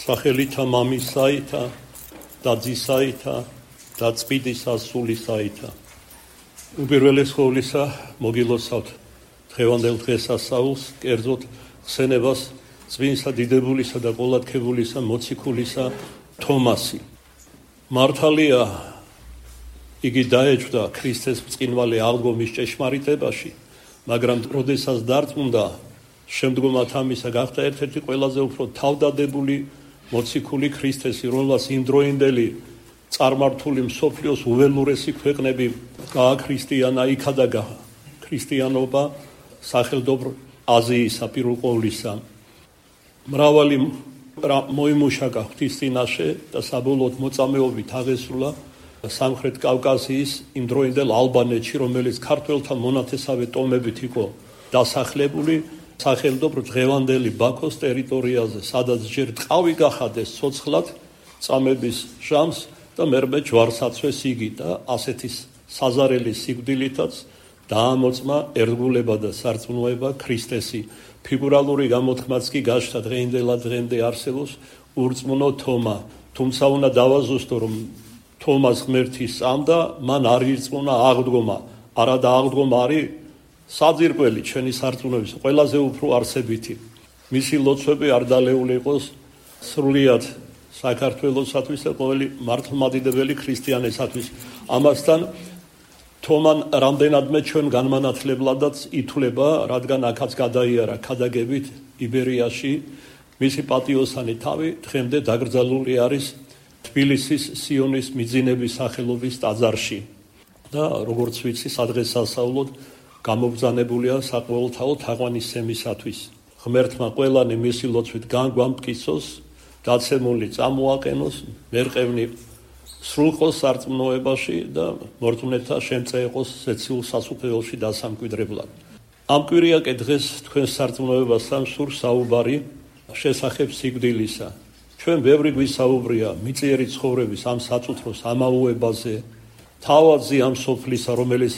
სახელითა მამისაითა და ძისაითა და წმინდისა სულისაითა. უპირველეს ყოვლისა მოგილოცავთ დღევანდელ დღესასწაულს, კერძოდ ხსენებას წმინდისა დიდებულისა და ყოლადქებულისა მოციქულისა თომასი. მართალია იგი დაეჭვდა ქრისტეს ბრწყინვალე აღდგომის ჭეშმარიტებაში, მაგრამ როდესაც დარწმუნდა, შემდგომად ამისა გახდა ერთ-ერთი ყველაზე უფრო თავდადებული მოციქული ქრისტესი, რომელსაც იმდროინდელი წარმართული მსოფლიოს უველურესი ქვეყნები გააქრისტიანა, იქადაგა ქრისტიანობა სახელდობრ აზიისა პირველ ყოვლისა. მრავალი მოიმუშაკა ღვთის წინაშე და საბოლოოდ მოწამეობით აღესრულა სამხრეთ კავკასიის იმდროინდელ ალბანეთში, რომელიც ქართველთა მონათესავე ტომებით იყო დასახლებული სახელდობრ დღევანდელი ბაქოს ტერიტორიაზე, სადაც ჯერ ტყავი გახადეს ცოცხლად წამების ჟამს და მერმე ჯვარსაცვეს იგი და ასეთი საზარელი სიკვდილითაც დაამოწმა ერთგულება და სარწმუნოება ქრისტესი. ფიგურალური გამოთქმაც კი გაჩნდა დღემდე არსებობს ურწმუნო თომა. თუმცა უნდა დავაზუსტო, რომ თომას ღმერთი სწამდა, მან არ ირწმუნა აღდგომა. არადა აღდგომა არის საძირკველი ჩვენი სარწმუნოების ყველაზე უფრო არსებითი. მისი ლოცვები არ დალეული იყოს სრულიად საქართველოსათვის და ყოველი მართლმადიდებელი ქრისტიანისათვის. ამასთან თომან რამდენადმე ჩვენ განმანათლებლადაც ითვლება, რადგან აქაც გადაიარა ქადაგებით იბერიაში, მისი პატიოსანი თავი დღემდე დაკრძალული არის თბილისის სიონის მიძინების სახელობის ტაძარში და როგორც ვიცი, სადღესასწაულოდ გამობრძანებულია საყოველთაო თაყვანისცემისათვის. ღმერთმა ყველანი მისი ლოცვით განგვამტკიცოს, დაცემული წამოაყენოს, მერყევნი სრულყოს სარწმუნოებაში და მორწმუნეთა შემწე იყოს ზეციურ სასუფეველში დასამკვიდრებლად. ამ კვირიაკე დღეს თქვენს სარწმუნოებასთან სურს საუბარი შესახებ სიკვდილისა. ჩვენ ბევრი გვისაუბრია მიწიერი ცხოვრების ამ საწუთროს ამაუებაზე, თავადზე ამ სოფლისა, რომელიც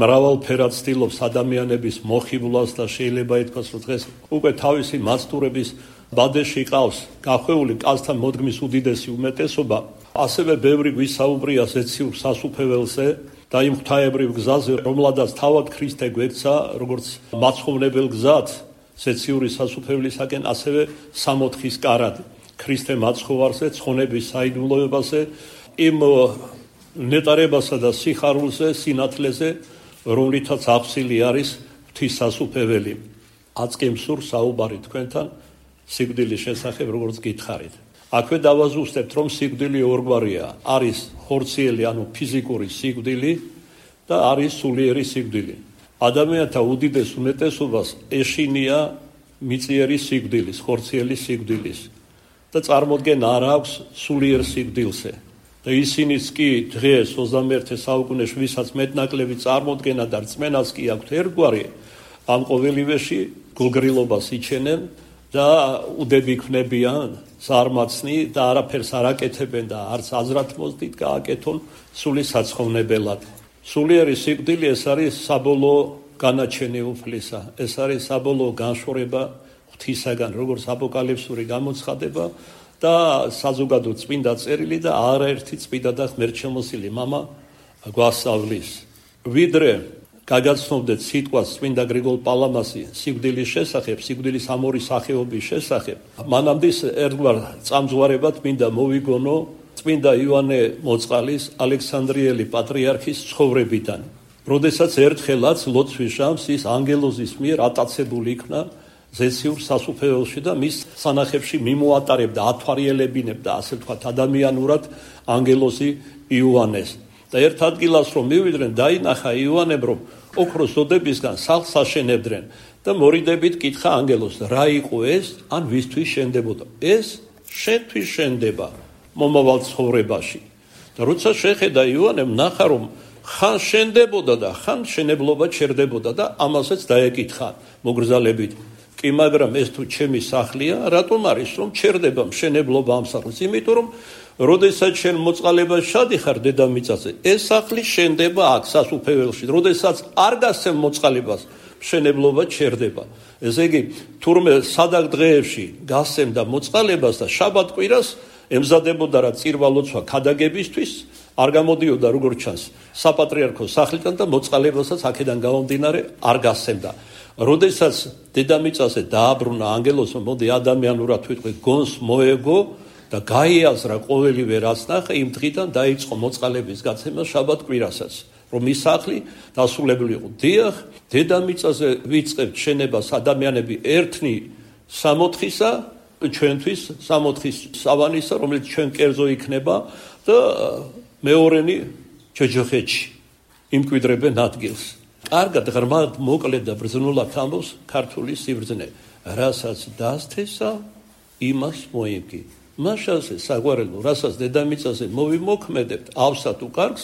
მრავალფერად ცდილობს ადამიანების მოხიბლას და შეიძლება ითქვას, რომ დღეს უკვე თავისი მაცდურების ბადეში ყავს გახვეული კაცთან მოდგმის უდიდესი უმეტესობა. ასევე ბევრი გვისაუბრია ზეციურ სასუფეველზე და იმ ღვთაებრივ გზაზე, რომელადაც თავად ქრისტე გვექცა, როგორც მაცხოვნებელ გზად ზეციური სასუფევლისაკენ, ასევე სამოთხის კარად ქრისტე მაცხოვარზე, ცხონების საიდუმლოებაზე, იმ ნეტარებასა და სიხარულზე, სინათლეზე, რომლითაც აღსილი არის ღვთის სასუფეველი. აწკიმ სურს საუბარი თქვენთან სიკვდილის შესახებ, როგორც გითხარით. აქვე დავაზუსტებთ, რომ სიკვდილი ორგვარია. არის ხორციელი, ანუ ფიზიკური სიკვდილი და არის სულიერი სიკვდილი. ადამიანთა უდიდეს უმეტესობას ეშინია მიწიერი სიკვდილის, ხორციელი სიკვდილის და წარმოდგენა არ აქვს სულიერ სიკვდილზე. და ისინიც კი დღეს 21 საუკუნეში, ვისაც მეტნაკლები წარმოდგენა და რწმენაც კი აქვთ ერთგვარი, ამ ყოველივეში გულგრილობას იჩენენ და უდები ქმნებიან ზარმაცნი და არაფერს არ აკეთებენ და არც აზრად მოძდით გააკეთონ სული საცხოვნებელად. სულიერი სიკვდილი ეს არის საბოლოო განაჩენი უფლისა, ეს არის საბოლოო განშორება ღვთისაგან, როგორც აპოკალიფსური გამოცხადება და საზოგადო წმინდა წერილი და არაერთი წმინდა და ღმერთშემოსილი მამა გვასწავლის. ვიდრე გაგაცნობდეთ სიტყვას წმინდა გრიგოლ პალამასი სიკვდილის შესახებ, სიკვდილის ამ ორი სახეობის შესახებ, მანამდე ერთგვარ წამძღვარებად მინდა მოვიგონო წმინდა ივანე მოწყალის ალექსანდრიელი პატრიარქის ცხოვრებიდან. როდესაც ერთხელაც ლოცვის ჟამს ის ანგელოზის მიერ ატაცებული იქნა ზეციურ სასუფეველში და მის სანახებში მიმოატარებდა, ათვალიერებინებდა, ასე ვთქვათ, ადამიანურად ანგელოზი იოანეს. და ერთ ადგილას რომ მივიდნენ, დაინახა იოანემ, რომ ოქროს ზოდებისგან სახლს აშენებდნენ და მორიდებით კითხა ანგელოზს, რა იყო ეს, ან ვისთვის შენდებოდა? ეს შენთვის შენდება მომავალ ცხოვრებაში. და როცა შეხედა იოანემ, ნახა რომ ხან შენდებოდა და ხან შენებლობა ჩერდებოდა და ამასაც დაეკითხა მოგრძალებით. კი, მაგრამ ეს თუ ჩემი სახლია, რატომ არის რომ ჩერდება მშენებლობა ამ სახლის? იმიტომ რომ როდესაც შენ მოწყალებაში შადიხარ დედამიწაზე, ეს სახლი შენდება აქ სასუფეველში. როდესაც არ გასცემ მოწყალებას, მშენებლობა ჩერდება. ესე იგი, თურმე სადაგ დღეებში გასცემდა მოწყალებას და შაბათ-კვირას ემზადებოდა რა წირვა ლოცვა ქადაგებისთვის, არ გამოდიოდა როგორც ჩანს საპატრიარქოს სახლიდან და მოწყალებასაც აქედან გამომდინარე არ გასცემდა. როდესაც დედამიწაზე დააბრუნა ანგელოსმა, მოდი ადამიანურად ვიტყვი, გონს მოეგო და გაიაზრა ყოველივე რაც ნახა, იმ დღიდან დაიწყო მოწყალების გაცემა შაბათ-კვირასაც, რომ ის სახლი დასრულებული იყო. დიახ, დედამიწაზე ვიწყებთ შენებას ადამიანები ერთნი 60-ისა, ჩვენთვის 60-ის სავანისა, რომელიც ჩვენ კერძო იქნება და მეორენი ჯოჯოხეთში იმკვიდრებენ ადგილს. კარგად ღრმად მოკლედ და ბრძნულად ამბობს ქართული სიბრძნე, რასაც დასთესა, იმას მოიმკი. მაშასე საგვარელო, რასაც დედამიწაზე მოვიმოქმედებთ, ავსად უკარგს,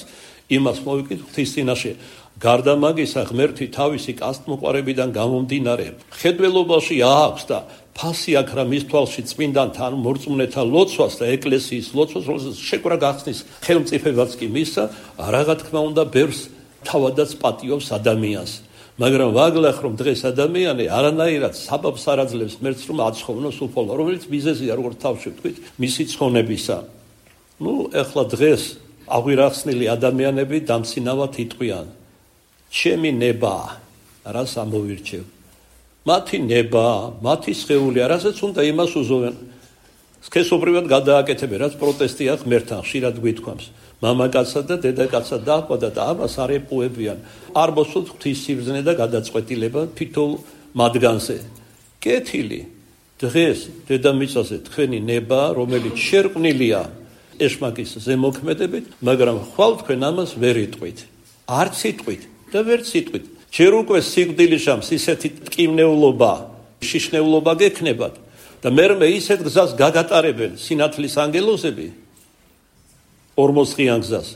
იმას მოვიკით ღვთის წინაშე. გარდა მაგისა, ღმერთი თავისი კასტმოყვარებიდან გამომდინარე, ხედველობაში აქვს და ფასი აქვს რა მის თვალში წმინდანთან მორწმუნეთა ლოცვას და ეკლესიის ლოცვას, რომელსაც შეკვრა გახსნის ხელმწიფებაც კი მისცა, რა თქმა უნდა, ბევრს თავადაც პატიობს ადამიანს. მაგრამ ვაგლახ რომ დღეს ადამიანი არანაირად საბაბს არ აძლევს მერც რომ აცხოვნოს უფალო, რომელიც მიზეზია როგორც თავში ვთქვით, მისი ცხონებისა. ეხლა დღეს აღვირახსნილი ადამიანები დამცინავად იტყვიან. ჩემი ნება, რას ამოვირჩევ? მათი ნება, მათი სხეული, რასაც უნდა იმას უზოვენ. სქესობრივად გადააკეთებენ, რაც პროტესტია ღმერთთან, ხშირად გვითქვამს. მამაკაცსა და დედაკაცსა დააყვადა და ამას არ ეპუებიან. არ მოსულთ ღვთის სიბრძნე და გადაწყვეტილება თითოეულ მათგანზე. კეთილი, დღეს დედამიწაზე თქვენი ნება, რომელიც შერყვნილია ეშმაკის ზემოქმედებით, მაგრამ ხვალ თქვენ ამას ვერ იტყვით. არც იტყვით და ვერც იტყვით. ჯერ უკვე სიკვდილის ჟამს ისეთი ტკივნეულობა, შიშნეულობა გექნებათ და მერმე ისეთ გზას გაგატარებენ სინათლის ანგელოზები, ორმოძღიან გზას,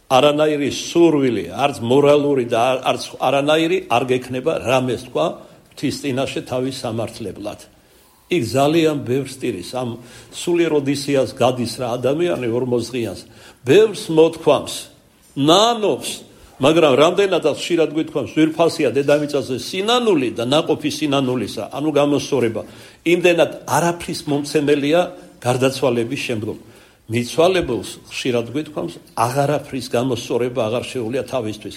არანაირი სურვილი, არც მორალური და არც არანაირი არ გექნება რამეს თქვა ღვთის წინაშე თავის სამართლებლად. იქ ძალიან ბევრს ტირის, ამ სულიერ ოდისეას გადის რა ადამიანი ორმოძღიანს, ბევრს მოთქვამს, ნანობს, მაგრამ რამდენადაც ხშირად გვითქვამს, ვირფასია დედამიწაზე სინანული და ნაყოფი სინანულისა, ანუ გამოსწორება, იმდენად არაფრის მომცემელია გარდაცვალების შემდგომ. მიცვალებულს ხშირად გვითქვამს, აღარაფრის გამოსწორება აღარ შეუძლია თავისთვის.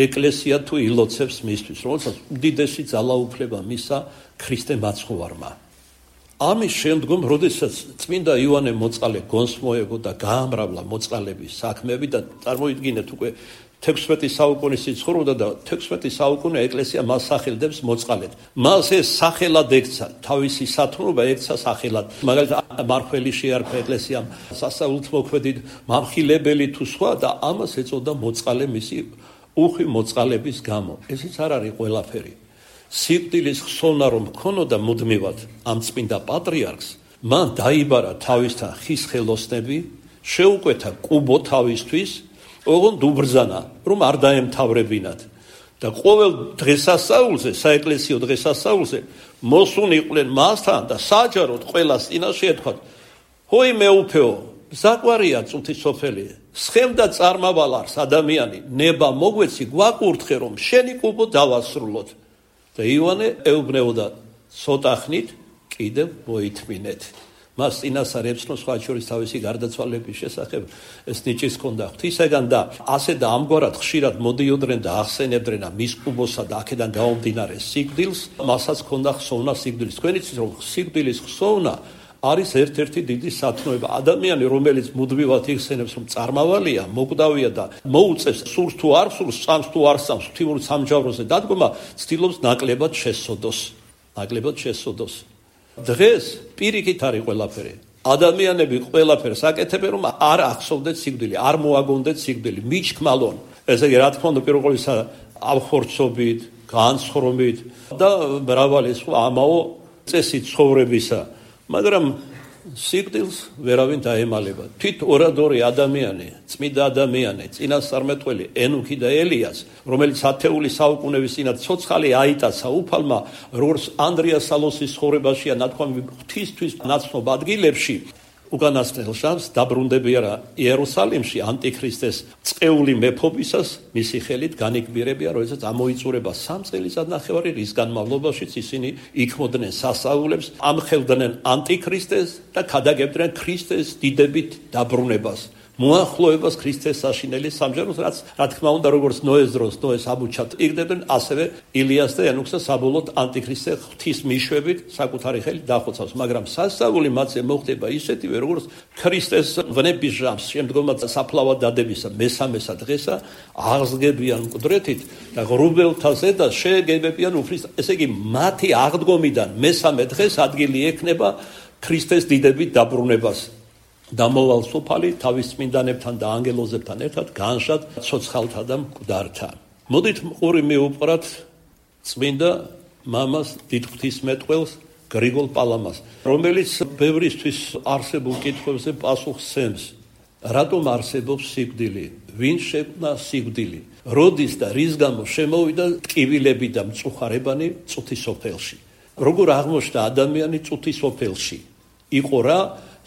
ეკლესია თუ ილოცებს მისთვის, რომელსაც უდიდესი ძალაუფლება მისცა ქრისტე მაცხოვარმა. ამის შემდგომ, როდესაც წმინდა იოანე მოწყალე გონს მოეგო და გაამრავლა მოწყალების საქმეები და წარმოიდგინეთ უკვე 16 საუკუნის ცხოვრობდა და 16 საუკუნე ეკლესია მას სახელდებს მოწყალედ. მას ეს სახელად ექცა, თავისი სათნობა ექცა სახელად. მაგალითად, მარხველი შეარქვა ეკლესიამ, სასწაულით მოქმედით, მამხილებელი თუ სხვა და ამას ეწოდა მოწყალე მისი უხვი მოწყალების გამო. ესიც არ არის ყველაფერი. სიკვდილის ხსოვნა რომ ჰქონოდა მუდმივად ამ წმინდა პატრიარქს, მან დაიბარა თავისთან ხის ხელოსნები, შეუკვეთა კუბო თავისთვის, ოღონდ უბრძანა, რომ არ დაემთავრებინათ და ყოველ დღესასწაულზე, საეკლესიო დღესასწაულზე მოსუნიყვნენ მასთან და საჯაროდ ყველას წინაშე ეთქვათ: "ჰოი მეუფეო, საყვარია წუთი სოფელი, სხემდა წარმავალარს ადამიანი, ნება მოგვეცი, გვაკურთხე რომ შენი კუბო დავასრულოთ." და იოანე ეუბნეოდა: "ცოტა ხნით კიდევ მოითმინეთ." მას წინასწარ ეცნო სხვა შორის თავისი გარდაცვალების შესახებ ეს ნიჭის ჰქონდა ღვთისაგან და ასე და ამგვარად ხშირად მოდიოდნენ და ახსენებდნენ მის კუბოსა და აქედან გამომდინარე სიკვდილს, მასაც ჰქონდა ხსოვნა სიკვდილის. თქვენ იცით რომ სიკვდილის ხსოვნა არის ერთ-ერთი დიდი სათნოება. ადამიანი რომელიც მუდმივად იხსენებს რომ წარმავალია, მოკვდავია და მოუწევს სურს თუ არ სურს, წამს თუ არ წამს, ღვთიურ სამჯავროზე დადგომა, ცდილობს ნაკლებად შესწოდოს. ნაკლებად შესწოდოს. დღეს პირიქით არის ყველაფერი. ადამიანები ყველაფერს აკეთებენ რომ არ ახსოვდეთ სიკვდილი, არ მოაგონდეთ სიკვდილი, მიჩქმალონ. ესე იგი, რა თქმა უნდა, პირველ ყოვლისა ავხორცობით, განცხრომით და მრავალი სხვა ამაო წესით ცხოვრებისა. მაგრამ სიკვდილს ვერავინ დაემალება. თვით ორადორი ადამიანი, წმინდა ადამიანი, წინასწარმეტყველი ენუქი და ელიას, რომელიც ათეული საუკუნეების წინათ ცოცხალი აიტაცა უფალმა, როგორც ანდრია სალოსის ცხოვრებაშია ნათქვამი ღვთისთვის ნაცნობ ადგილებში, უკანასკნელ შამს დაბრუნდებიან იერუსალიმში ანტიქრისტეს წეული მეფობისას მისი ხელით განიგბირებიან, როდესაც ამოიწურება 3 წელიწადნახევარი, რის განმავლობაშიც ისინი იქმოდნენ სასაულებს, ამხელდნენ ანტიქრისტეს და ქადაგებდნენ ქრისტეს დიდებით დაბრუნებას. მოახლოებას ქრისტეს საშინელი სამჯეროს, რაც რა თქმა უნდა როგორც ნოეს დროს ნოეს ამუჩად იგდებდნენ, ასევე ილიას და ენოქს საბოლოოდ ანტიქრისტე ღვთის მიშვებით საკუთარი ხელით დახოცავს, მაგრამ სასწაული მათზე მოხდება ისეთივე როგორც ქრისტეს ვნების ჟამს, შემდგომად საფლავად დადებისა მესამესა დღესა აღსგებიან მკვდრეთით და ღრუბელთა ზედას შეეგებებიან უფლის, ესე იგი მათი აღდგომიდან მესამე დღეს ადგილი ექნება ქრისტეს დიდებით დაბრუნებას. დამოვალ სოფალი თავის წმინდანებთან და ანგელოზებთან ერთად განშად ცოცხალთა და მკვდართა. მოდით ყური მივუყრათ წმინდა მამას დიდ ღვთისმეტყველს გრიგოლ პალამას, რომელიც ბევრისთვის არსებულ კითხვებზე პასუხს სცემს. რატომ არსებობს სიკვდილი? ვინ შექმნა სიკვდილი? როდის და რის გამო შემოვიდა ტკივილები და მწუხარებანი წუთის ოფელში? როგორ აღმოჩნდა ადამიანი წუთის ოფელში? იყო რა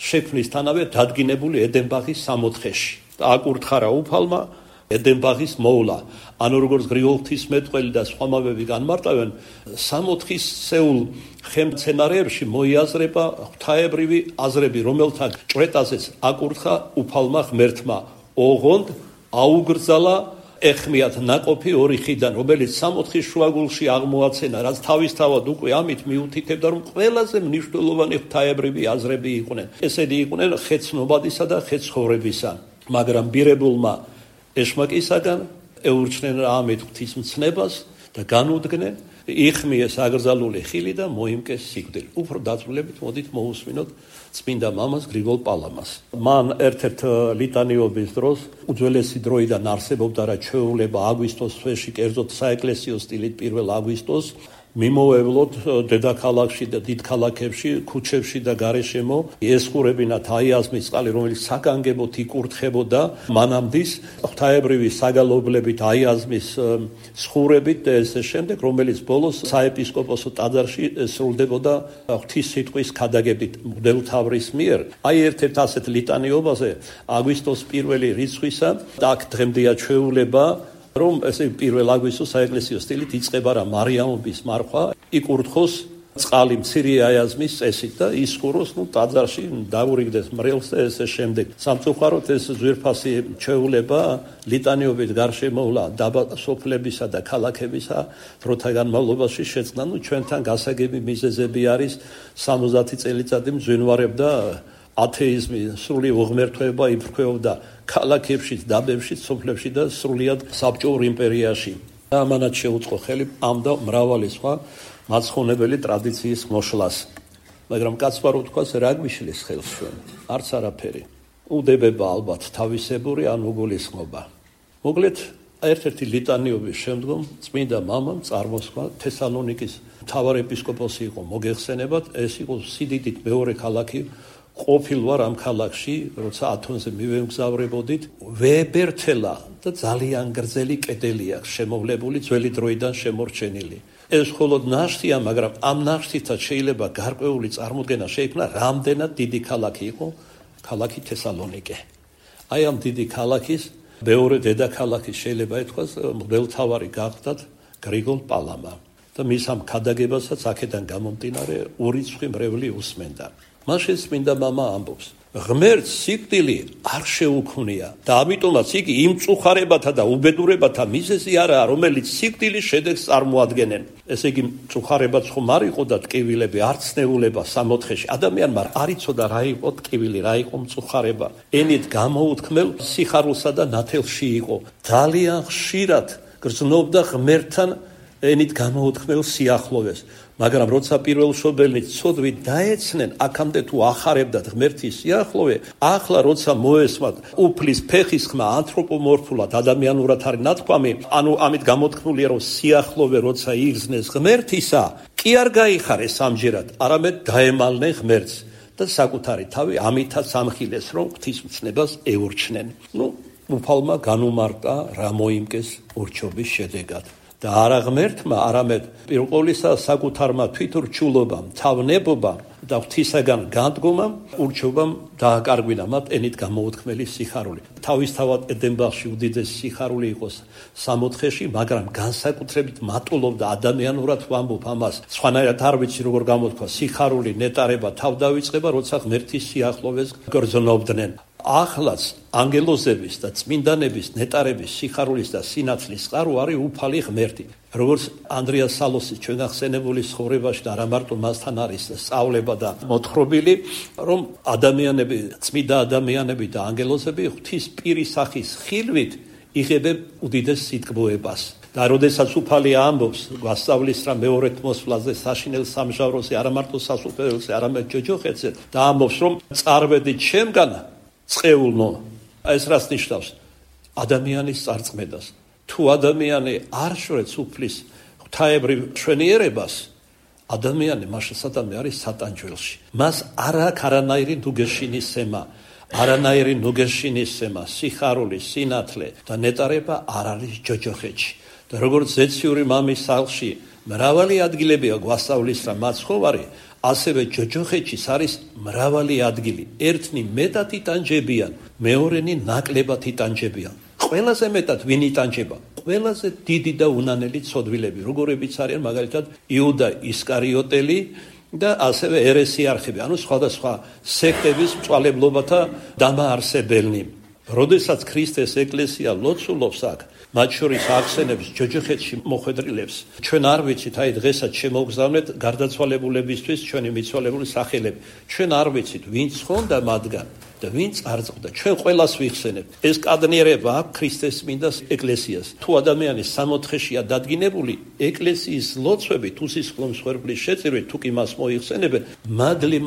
შექმნისთანავე დადგინებული ედენბაღის სამოთხეში. აკურთხარა უფალმა ედენბაღის მოვლა. ანუ როგორც გრიგოლ ღვთისმეტყველი და სხვა მამები განმარტავენ, სამოთხის სეულ ხემცენარეებში მოიაზრება ღვთაებრივი აზრები, რომელთა ჭვრეტაზეც აკურთხა უფალმა ღმერთმა. ოღონდ აუგრძალა ეხმიათ ნაყოფი ორი ხიდან, რომელიც სამოთხის შუაგულში აღმოაცენა, რაც თავისთავად უკვე ამით მიუთითებდა, რომ ყველაზე მნიშვნელოვანი ღვთაებრივი აზრები იყვნენ. ესენი იყვნენ ხეცნობადისა და ხეცხოვრებისა. მაგრამ ბირებულმა ეშმაკისაგან ეურჩნენ ამით ღვთისმცნებას და განუდგნენ, იხმიეს აკრძალული ხილი და მოიმკეს სიკვდილი. უფრო დაწვრილებით მოდით მოусმინოთ წმინდა მამას გრიგოლ პალამას. მან ერთ-ერთ ლიტანიობის დროს უძველესი დროიდან არსებობდა რა ჩვეულება აგვისტოს თვეში, კერძოდ საეკლესიო სტილით 1 აგვისტოს მიმოევლოთ დედაქალაქში და დიდ ქალაქებში, ქუჩებში და გარეშემო ესხურებინათ აიაზმის წყალი, რომელიც საგანგებოდ იკურთხებოდა მანამდის ღვთაებრივი საგალობლებით აიაზმის სხურებით და ესე შემდეგ, რომელიც ბოლოს საეპისკოპოსო ტაძარში სრულდებოდა ღვთის სიტყვის ქადაგებით მღვდელმთავრის მიერ. აი ერთ-ერთ ასეთ ლიტანიობაზე აგვისტოს 1 რიცხვისა და აქ დღემდეა ჩვეულება, რომ ესე 1 აგვისტოს საეკლესიო სტილით იწყება რა მარიამობის მარხვა, იკურთხოს წყალი მცირე აიაზმის წესით და ისხუროს ტაძარში, დაურიგდეს მრევლს და ესე შემდეგ. სამწუხაროდ ეს ძვირფასი ჩვეულება ლიტანიობით გარშემოვლა დაბა სოფლებისა და ქალაქებისა დროთა განმავლობაში შეწყდა. ჩვენთან გასაგები მიზეზები არის 70 წელიწადი მძვინვარებდა ათეიზმი, სრული უღმერთოება იფრქვეობდა ქალაქებში, დაბებში, სოფლებში და სრულიად საბჭოურ იმპერიაში. და ამანაც შეუწყო ხელი ამ და მრავალი სხვა მაცხოვნებელი ტრადიციის მოშლას. მაგრამ კაცმა რო თქვას, რა გვიშლის ხელს ჩვენ? არც არაფერი. უდებება ალბათ თავისებური ან უგულისხმობა. მოკლედ, ერთ-ერთი ლიტანიობის შემდგომ წმინდა მამამ წარმოსხმა თესალონიკის მთავარ ეპისკოპოსი იყო მოგეხსენებათ, ეს იყო სიდიდით მეორე ქალაქი ყოფილ ვარ ამ ქალაქში, როცა ათონზე მივემგზავრებოდით, ვებერთელა და ძალიან გრძელი კედელი აქვს შემოვლებული, ძველი დროიდან შემორჩენილი. ეს მხოლოდ ნაშთია, მაგრამ ამ ნაშთითაც შეიძლება გარკვეული წარმოდგენა შეიქმნა, რამდენად დიდი ქალაქი იყო ქალაქი თესალონიკე. აი ამ დიდი ქალაქის მეორე დედაქალაქის შეიძლება ითქვას მღვდელმთავარი გახდათ გრიგოლ პალამა და მის ამ ქადაგებასაც აქედან გამომდინარე ურიცხვი მრევლი უსმენდა. მაშინ წმინდა მამა ამბობს, ღმერთს სიკვდილი არ შეუქმნია და ამიტომაც იგი იმ მწუხარებათა და უბედურებათა მიზეზი არაა, რომელიც სიკვდილის შედეგს წარმოადგენენ. ესე იგი მწუხარებაც ხომ არ იყო და ტკივილები, არ ცნეულება სამოთხეში. ადამიანმა არ იცოდა რა იყო ტკივილი, რა იყო მწუხარება. ენით გამოუთქმელ სიხარულსა და ნათელში იყო. ძალიან ხშირად გრძნობდა ღმერთთან ენით გამოუთქმელ სიახლოვეს. მაგრამ როცა პირველშობილნი ცოდვით დაეცნენ, აქამდე თუ ახარებდათ ღმერთის სიახლოვე, ახლა როცა მოესმათ უფლის ფეხის ხმა ანთროპომორფულად ადამიანურად არის ნათქვამი, ანუ ამით გამოთქმულია, რომ სიახლოვე როცა იგრძნეს ღმერთისა, კი არ გაიხარეს ამჯერად, არამედ დაემალნენ ღმერთს და საკუთარი თავი ამითაც ამხილეს, რომ ღვთისმცნებას ეურჩნენ. უფალმა განუმარტა რა მოიმკეს ურჩობის შედეგად. და არა ღმერთმა, არამედ პირველ ყოვლისა საკუთარმა თვითურჩულობამ, თავნებობამ და ღვთისაგან განდგომამ, ურჩობამ დააკარგვინა მათ ენით გამოუთქმელი სიხარული. თავისთავად ედენბაღში უდიდესი სიხარული იყოს სამოთხეში, მაგრამ განსაკუთრებით მატულობდა ადამიანურად ვამბობ ამას. სხვანაირად არ ვიცი როგორ გამოთქვა სიხარული, ნეტარება, თავდავიწყება, როცა ღმერთის სიახლოვეს გრძნობდნენ. ახლაც ანგელოზების და წმინდანების ნეტარების სიხარულის და სინათლის წყარო არის უფალი ღმერთი. როგორც ანდრია სალოსი ჩვენ ახსენებული ცხოვრებაში და არა მარტო მასთან არის სწავლება და მოთხრობილი, რომ ადამიანები, წმინდა ადამიანები და ანგელოზები ღვთის პირის სახის ხილვით იღებენ უდიდეს სიტკბოებას. და როდესაც უფალი ამბობს, გვასწავლის რა მეორედ მოსვლაზე, საშინელ სამჟავროზე, არა მარტო სასუფეველზე, არამედ ჯოჯოხეთზე და ამბობს, რომ წარვედი ჩემგან წყეულნო, ეს რას ნიშნავს? ადამიანის წარწმედას. თუ ადამიანი არ შვებს უფლის ღვთაებრივ მშვენიერებას, ადამიანი მაშინ სადამე არის სატანჯველში. მას არ აქვს არანაირი ნუგეშინისცემა, არანაირი ნუგეშინისცემა, სიხარული, სინათლე და ნეტარება არ არის ჯოჯოხეთში. და როგორც ზეციური მამის სახლში მრავალი ადგილებია გვასწავლის რა მაცხოვარი, ასევე ჯოჯოხეთშიც არის მრავალი ადგილი. ერთნი მეტად იტანჯებიან, მეორენი ნაკლებად იტანჯებიან. ყველაზე მეტად ვინ იტანჯება? ყველაზე დიდი და უნანელი ცოდვილები, როგორებიც არიან მაგალითად იუდა ისკარიოტელი და ასევე ერესიარხები, ანუ სხვადასხვა სექტების მწვალებლობათა დამაარსებელნი. როდესაც ქრისტეს ეკლესია ლოცულობს აქ, მათ შორის ახსენებს ჯოჯოხეთში მოხვედრილებს. ჩვენ არ ვიცით, აი დღესაც შემოგზავნეთ გარდაცვალებულებისთვის ჩვენი მიცვალებული სახელები. ჩვენ არ ვიცით, ვინც ხონდა მათგან და ვინც არ წყვდა. ჩვენ ყველას ვიხსენებთ. ეს კადნიერება აქვს ქრისტეს წმინდა ეკლესიას. თუ ადამიანი სამოთხეშია დადგინებული, ეკლესიის ლოცვებით, უსისხლო მსხვერპლის შეწირვით, თუ კი მას მოიხსენებენ,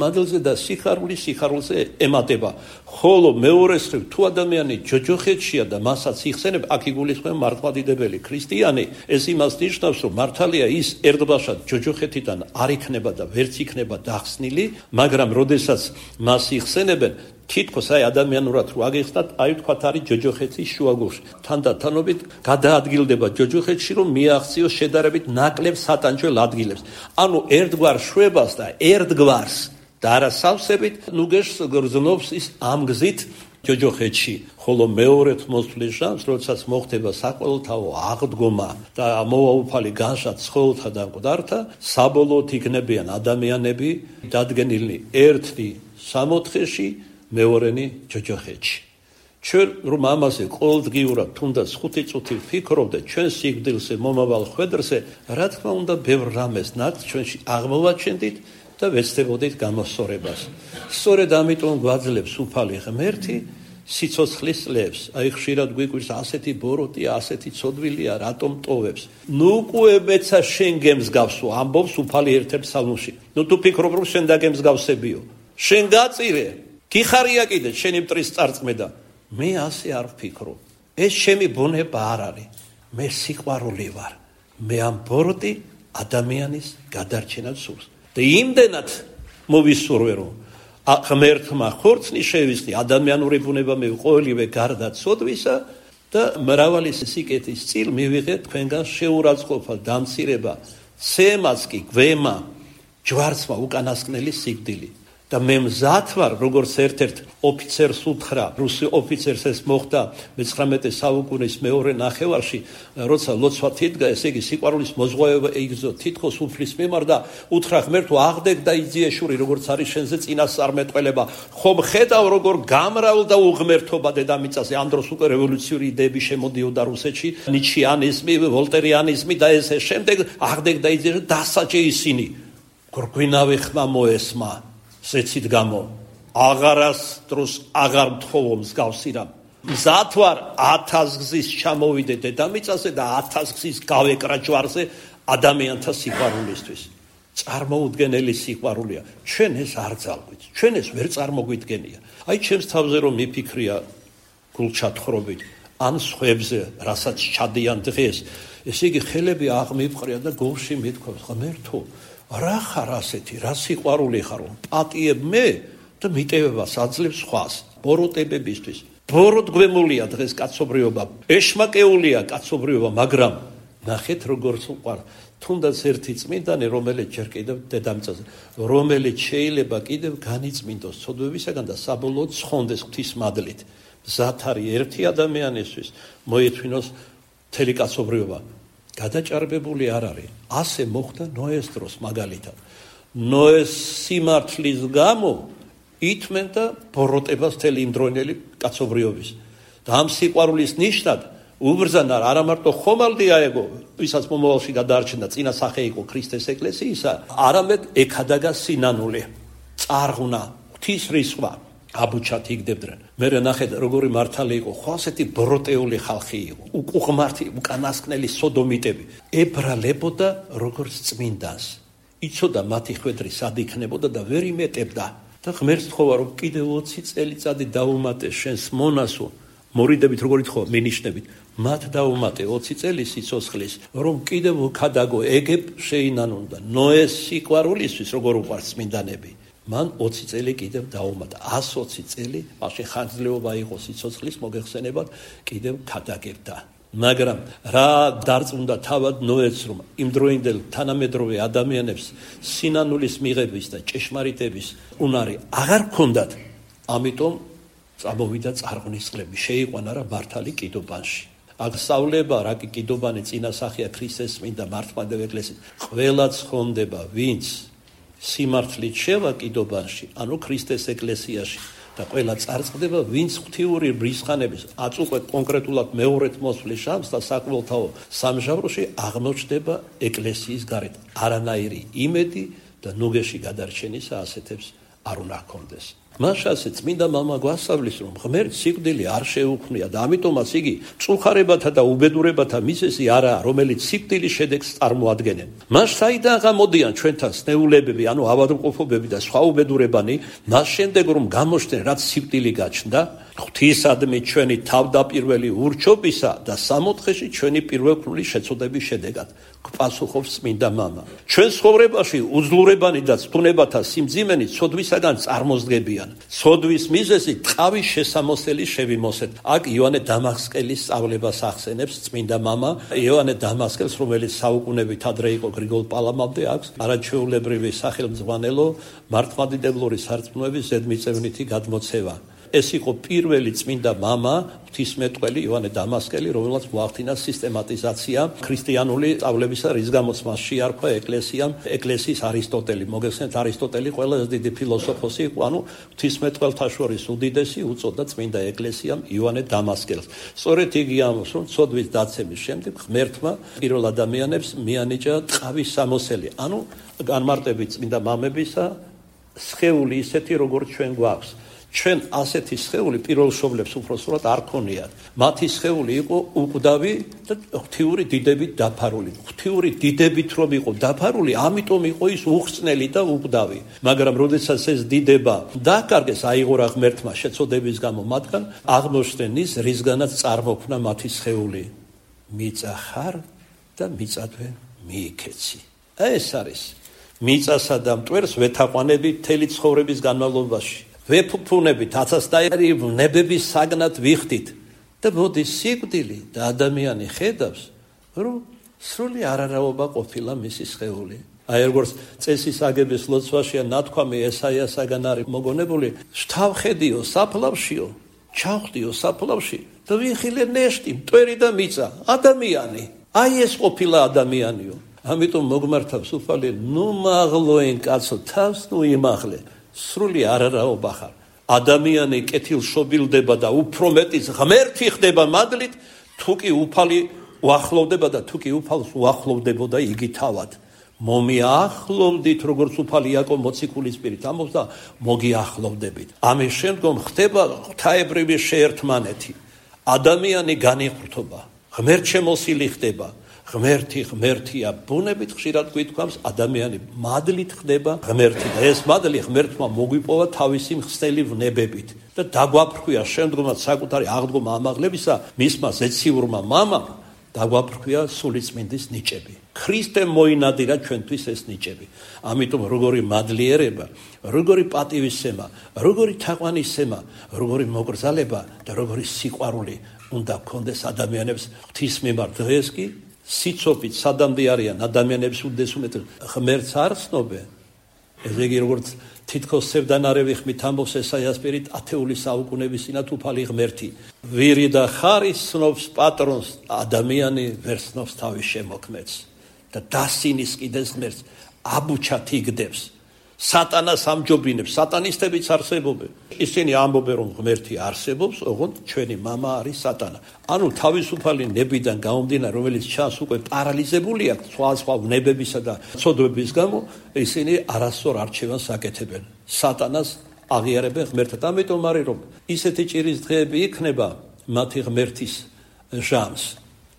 მადლზე და სიხარულზე ემატება. ხოლო მეორეს მხრივ, თუ ადამიანი ჯოჯოხეთშია და მასაც იხსენებ, აქ იგულისხმება მართლმადიდებელი ქრისტიანი, ეს იმას ნიშნავს, რომ მართალია ის ერთბაშად ჯოჯოხეთიდან არ იქნება და ვერც იქნება დახსნილი, მაგრამ როდესაც მას იხსენებენ, თითქოს აი ადამიანურად რო აგეხსნათ, აი თქვათ არის ჯოჯოხეთის შუაგულში. თანდათანობით გადაადგილდება ჯოჯოხეთში, რომ მიაღწიოს შედარებით ნაკლებ სატანჯველ ადგილებს. ანუ ერთგვარ შვებას და ერთგვარს და არა სავსებით ნუგეშს გრძნობს ის ამ გზით ჯოჯოხეთში. ხოლო მეორედ მოსვლის ჟამს, როდესაც მოხდება საყოველთაო აღდგომა და მოვაუფალი განშა ცხოველთა და მკვდართა, საბოლოოდ იქნებიან ადამიანები დადგენილნი ერთი სამოთხეში, მეორენი ჯოჯოხეთში. ჩვენ რომ ამაზე ყოველდღიურად თუნდაც 5 წუთი ვფიქრობდეთ ჩვენ სიკვდილზე, მომავალ ხვედრზე, რა თქმა უნდა ბევრ რამეს ნაკ ჩვენში აღმოვაჩენდით და ვეცდებოდით გამოსწორებას. სწორედ ამიტომ გვაძლევს უფალი ღმერთი სიცოცხლის წლებს. აი ხშირად გვიკვირს ასეთი ბოროტია, ასეთი ცოდვილია, რატომ ტოვებს? ნუ კუებეცა შენ გემსგავსო, ამბობს უფალი ერთ-ერთ ფსალმში. ნუ თუ ფიქრობ რომ შენ დაგემსგავსებიო, შენ გაწირე, გიხარია კიდე შენი მტრის წარწმედა. მე ასე არ ვფიქრობ. ეს ჩემი ბუნება არ არის. მე სიყვარული ვარ. მე ამ ბოროტი ადამიანის გადარჩენას სურს. და იმდენად მოვისურვე რომ ღმერთმა ხორცნი შევისხდი, ადამიანური ბუნება მე ყოველივე გარდა ცოდვისა და მრავალი სიკეთის წილ მივიღე თქვენგან შეურაცხყოფა, დამცირება, ცემაც კი გვემა, ჯვარცმა უკანასკნელი სიკვდილი. და მე მზად ვარ, როგორც ერთ-ერთ ოფიცერს უთხრა, რუსი ოფიცერს ეს მოხდა მე-19 საუკუნის მეორე ნახევარში, როცა ლოცვა თიდგა, ესე იგი სიყვარულის მოზღვავება იგრძო თითქოს უფლის მიმართ და უთხრა ღმერთო, აღდეგ და იძიეშური, როგორც არის შენზე წინასწარმეტყველება, ხომ ხედავ როგორ გამრავალ და უღმერთობა დედამიწაზე. ამ დროს უკვე რევოლუციური იდეები შემოდიოდა რუსეთში, ნიჩიანიზმი, ვოლტერიანიზმი და ესე შემდეგ, აღდეგ და იძიეშური დასაჯე ისინი. გვინავი ხმა მოესმა ზეცით გამო, აღარას დროს აღარ მთხოვო მსგავსი რამ. მზად ვარ 1000 გზის ჩამოვიდე დედამიწაზე და 1000 გზის გავეკრა ჯვარზე ადამიანთა სიყვარულისთვის. წარმოუდგენელი სიყვარულია. ჩვენ ეს არ ძალგვით, ჩვენ ეს ვერ წარმოგვიდგენია. აი ჩემს თავზე რომ მიფიქრია გულჩათხრობით, ან სხვებზე, რასაც ჩადიან დღეს, ესე იგი ხელები აღმიფყრია და გულში მithქვა, ღმერთო, რა ხარ ასეთი, რა სიყვარული ხარ, პატიებ მე და მიტევებას აძლევს სხვას, ბოროტებებისთვის. ბოროტ გვემულია დღეს კაცობრიობა, ეშმაკეულია კაცობრიობა, მაგრამ ნახეთ როგორ უყვარ თუნდაც ერთი წმინდანი რომელიც ჯერ კიდევ დედამიწაზე რომელიც შეიძლება კიდევ განიწმინდოს ცოდვებისაგან და საბოლოოდ ცხონდეს ღვთის მადლით მზად არის ერთი ადამიანისთვის მოეთვინოს მთელი კაცობრიობა გადაჭარბებული არ არის ასე მოხდა ნოეს დროს მაგალითად ნოეს სიმართლის გამო ითმენ და ბოროტებას მთელი იმდროინელი კაცობრიობის და ამ სიყვარულის ნიშნად უბრძანა არა მარტო ხომალდი აეგო ვისაც მომავალში გადაარჩენდა წინა სახე იყო ქრისტეს ეკლესიისა არამედ ეკადაგა სინანული წარღვნა ღვთის რისხვა აბუჩათ იგდებდნენ მე ნახეთ როგორი მართალი იყო ხო ასეთი ბროტეული ხალხი იყო უკუღმართი უკანასკნელი სოდომიტები ებრალებოდა როგორც წმინდანს იცოდა მათი ხვედრი სად იქნებოდა და ვერ იმეტებდა და ღმერთს თხოვა რომ კიდევ 20 წელიწადი დაუმატე შენს მონასო მორიდებით როგორ ითხოვა მინიშნებით მათ დაუმატე 20 წელი სიცოცხლის რომ კიდევ ქადაგო ეგებ შეინანონ და ნოეს სიყვარულისთვის როგორ უყვარს წმინდანები მან 20 წელი კიდევ დაუმატა 120 წელი მაშინ ხანძრეობა იყო სიცოცხლის მოგეხსენებათ კიდევ ქადაგებდა მაგრამ რა დარწმუნდა თავად ნოეც რომ იმდროინდელ თანამედროვე ადამიანებს სინანულის მიღების და ჭეშმარიტების უნარი აღარ ჰქონდათ ამიტომ წამოვიდა წარღვნის წლები შეიყვანა რა მართალი კიდობანში აქ სწავლება რა კი კიდობანი წინასახია ქრისტეს წმინდა მართლმადიდებლ ეკლესიის ყველა ცხონდება ვინც სიმართლით შევა კიდობანში ანუ ქრისტეს ეკლესიაში და ყველა წარწყდება ვინც ღვთიური ბრისხანების აწუყვეთ კონკრეტულად მეორეთ მოსვლის შამს და საკმაოთაო სამჟავროში აღმოჩნდება ეკლესიის გარეთ არანაირი იმედი და ნუგეში გადარჩენისა ასეთებს არ უნდა ჰქონდეს მაშასე წმინდა მამა გვასწავლის რომ ღმერთს სიკვდილი არ შეუქმნია და ამიტომაც იგი წუხარებათა და უბედურებათა მიზეზი არაა რომელიც სიკვდილის შედეგს წარმოადგენენ მას საიდან გამოდიან ჩვენთან სნეულებები ანუ ავადმყოფობები და სხვა უბედურებანი მას შემდეგ რომ გამოჩნდნენ რაც სიკვდილი გაჩნდა ღვთისადმი ჩვენი თავდაპირველი ურჩობისა და სამოთხეში ჩვენი პირველი შეცოდების შედეგად გპასუხობს წმინდა მამა ჩვენ ცხოვრებაში უძლურებანი და ცდუნებათა სიმძიმენი ცოდვისაგან წარმოსდგებიან ცოდვის მიზეზი ტყავის შესამოსელი შევიმოსეთ აქ იოანე დამასკელის სწავლებას ახსენებს წმინდა მამა იოანე დამასკელს რომელიც საუკუნებით ადრე იყო გრიგოლ პალამამდე აქვს არაჩვეულებრივი სახელმძღვანელო მართლმადიდებლური სარწმუნოების ზედმიწევნითი გადმოცევა ეს იყო პირველი წმინდა მამა ღვთისმეტყველი იოანე დამასკელი რომელსაც მოახდინა სისტემატიზაცია ქრისტიანული სწავლებისა რის გამოც მას შეარქვა ეკლესიამ ეკლესიის არისტოტელი მოგეხსენეთ არისტოტელი ყველაზე დიდი ფილოსოფოსი იყო ანუ ღვთისმეტყველთა შორის უდიდესი უწოდა წმინდა ეკლესიამ იოანე დამასკელს სწორედ იგი ამბობს რომ ცოდვის დაცემის შემდეგ ღმერთმა პირველ ადამიანებს მიანიჭა ტყავის სამოსელი ანუ განმარტებით წმინდა მამებისა სხეული ისეთი როგორც ჩვენ გვაქვს ჩვენ ასეთი სხეული პირველ მშობლებს უბრალოდ არ ქონიათ. მათი სხეული იყო უკვდავი და ღვთიური დიდებით დაფარული. ღვთიური დიდებით რომ იყო დაფარული, ამიტომ იყო ის უხრწნელი და უკვდავი. მაგრამ როდესაც ეს დიდება დაკარგეს, აიღორა ღმერთმა შეცოდების გამო მათგან, აღმოჩნდნენ ის, რისგანაც წარმოქმნა მათი სხეული. მიწა ხარ და მიწადვე მიიქეცი. ეს არის მიწასა და მტვერს ვეთაყვანები მთელი ცხოვრების განმავლობაში. ვეფუფუნებით აცასტაირი ნებების საგნად ვიხდით და მოდის სიკვდილი და ადამიანი ხედავს რომ სრული არარავობა ყოფილა მისი სხეული. აი როგორც წესის აგების ლოცვაშია ნათქვამი ესაიასაგან არის მოგონებული შთავხედიო საფლავშიო ჩავხდიო საფლავში და ვიხილე ნეშტი მტვერი და მიწა ადამიანი აი ეს ყოფილა ადამიანიო. ამიტომ მოგმართავს უფალი ნუ მაღლოენ კაცო თავს ნუ იმაღლე სრული არარავობა ხარ. ადამიანი კეთილშობილდება და უფრო მეტის ღმერთი ხდება მადლით, თუ კი უფალი უახლოვდება და თუ კი უფალს უახლოვდებოდა იგი თავად. მომიახლოვდით, როგორც უფალი იაკობ მოციქულის პირით ამბობს და მოგიახლოვდებით. ამის შემდგომ ხდება ღვთაებრივი შეერთმანეთი. ადამიანი განიხრთობა, ღმერთშემოსილი ხდება. ღმერთია ბუნებით ხშირად გვითქვამს ადამიანი მადლით ხდება ღმერთი და ეს მადლი ღმერთმა მოგვიპოვა თავისი მხსნელი ვნებებით და დაგვაფრქვია შემდგომად საკუთარი აღდგომა ამაღლებისა მისმა ზეციურმა მამამ დაგვაფრქვია სულიწმინდის ნიჭები. ქრისტე მოინადირა ჩვენთვის ეს ნიჭები. ამიტომ როგორი მადლიერება, როგორი პატივისცემა, როგორი თაყვანისცემა, როგორი მოკრძალება და როგორი სიყვარული უნდა გქონდეს ადამიანებს ღვთის მიმართ დღეს კი სიცოფით სადამდე არიან ადამიანების უდესუმეთ ღმერთს არ ცნობენ. ესე იგი როგორც თითქოს სევდანარევი ხმით ამბობს ესაიას პირით ათეული საუკუნეების წინათ უფალი ღმერთი ვირი და ხარი ცნობს პატრონს ადამიანი ვერ ცნობს თავის შემოქმედს და დასინის კიდეს ღმერთს აბუჩად იგდებს სატანას ამჯობინებს სატანისტებიც არსებობენ ისინი ამბობენ რომ ღმერთი არსებობს ოღონდ ჩვენი მამა არის სატანა ანუ თავისუფალი ნებიდან გამომდინარე რომელიც ჩანს უკვე პარალიზებული აქვს სხვა ვნებებისა და ცოდვების გამო ისინი არასწორ არჩევანს აკეთებენ სატანას აღიარებენ ღმერთად ამიტომ არის რომ ისეთი ჭირის დღეები იქნება მათი ღმერთის ჟამს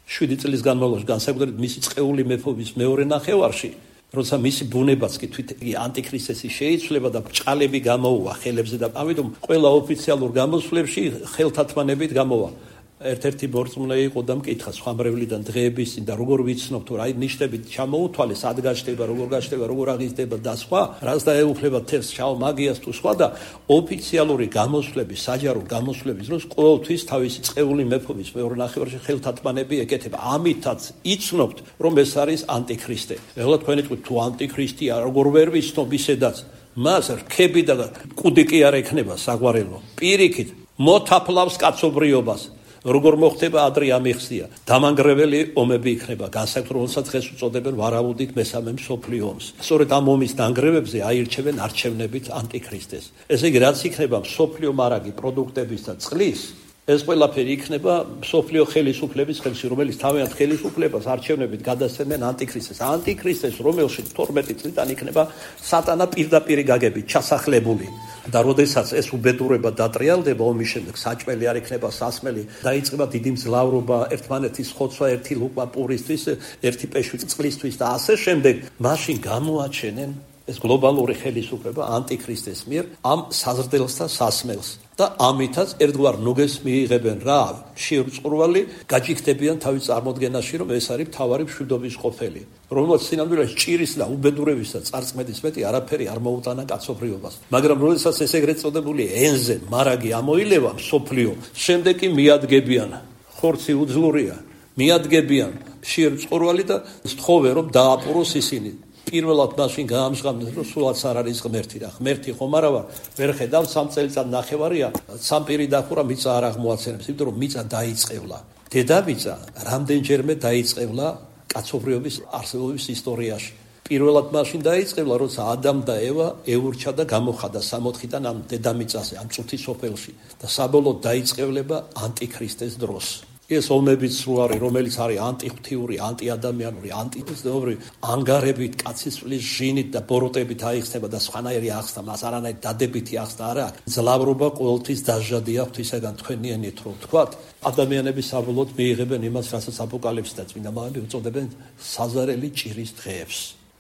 7 წლის განმავლობაში განსაკუთრებით მისი წყეული მეფობის მეორე ნახევარში როცა მისი ბუნებაც კი თვით ანტიქრისტესი შეიცვლება და ბრჭყალები გამოუვა ხელებზე და ამიტომ ყველა ოფიციალურ გამოსვლებში ხელთათმანებით გამოვა ერთ-ერთი მორწმუნე იყო და მკითხა სხვამრევლიდან დღეების წინ და როგორ ვიცნობ თუ რა ნიშნებით ჩამოუთვალე სად გაჩნდება როგორ გაჩნდება როგორ აღიზრდება და სხვა რაც დაეუფლება თევზს შავ მაგიას თუ სხვა და ოფიციალური გამოსვლების საჯარო გამოსვლების დროს ყოველთვის თავისი წყეული მეფობის მეორე ნახევარში ხელთათმანები ეკეთება ამითაც იცნობთ რომ ეს არის ანტიქრისტე ეხლა თქვენი თქვით თუ ანტიქრისტია როგორ ვერ ვიცნობ ისედაც მას რქები და კუდი კი არ ექნება საგვარელო პირიქით მოთაფლავს კაცობრიობას როგორ მოხდება ადრე ამიხსია დამანგრეველი ომები იქნება განსაკუთრებით როდესაც დღეს უწოდებენ ვარაუდით მესამე მსოფლიო ომს სწორედ ამ ომის დანგრევებზე აირჩევენ არჩევნებით ანტიქრისტეს ესე იგი რაც იქნება მსოფლიო მარაგი პროდუქტების და წყლის ეს ყველაფერი იქნება მსოფლიო ხელისუფლების ხელში რომელიც თავიანთ ხელისუფლებას არჩევნებით გადასცემენ ანტიქრისტეს რომელშიც 12 წლიდან იქნება სატანა პირდაპირ გაგებით ჩასახლებული და როდესაც ეს უბედურება დატრიალდება ომის შემდეგ საჭმელი არ იქნება სასმელი დაიწყება დიდი მძლავრობა ერთმანეთის ხოცვა ერთი ლუკა პურისთვის ერთი პეშვი წყლისთვის და ასე შემდეგ მაშინ გამოაჩენენ ეს გლობალური ხელისუფლება ანტიქრისტეს მიერ ამ საზრდელს და სასმელს და ამითაც ერთგვარ ნუგეს მიიღებენ რა შეურწყურვალი გაჯიქდებიან თავის წარმოდგენაში რომ ეს არის მთავარი მშვიდობის ყოფილი რომელსაც სინამდვილეში ჭირის და უბედურების და წარწმედის მეტი არაფერი არ მოუტანა კაცობრიობას მაგრამ როდესაც ეს ეგრეთ წოდებული ენზე მარაგი ამოილევა მსოფლიო შემდეგ კი მიადგებიან ხორცი უძლურია მიადგებიან შეურწყურვალი და სთხოვე რომ დააპუროს ისინი პირველად მაშინ გაამჟღავნეს რომ სულაც არ არის ღმერთი და ღმერთი ხომ არა ვარ ვერ ხედავ 3 წელიწად ნახევარია სამპირი დახურა მიწა არ აღმოაცენებს იმიტომ რომ მიწა დაიწყევლა დედამიწა რამდენჯერმე დაიწყევლა კაცობრიობის არსებობის ისტორიაში პირველად მაშინ დაიწყევლა როცა ადამ და ევა ეურჩა და გამოხადა 64-დან ამ დედამიწაზე ამ წუთის სოფელში და საბოლოოდ დაიწყევლება ანტიქრისტეს დროს ეს ომებიც რო არის რომელიც არის ანტიღვთიური, ანტიადამიანური, ანტიევროპული ანგარებით, კაცისწვლის ჟინით და ბოროტებით აიხსნება და სხვანაირი ახსნა, მას არანაირი დადებითი ახსნა არ აქვს. ძლავრობა ყოველთვის დასჯადია ღვთისაგან თქვენიანით რო ვთქვათ, ადამიანები საბოლოოდ მიიღებენ იმას, რასაც აპოკალიფსი და წმინდა მამები უწოდებენ საზარელი ჭირის დღეებს.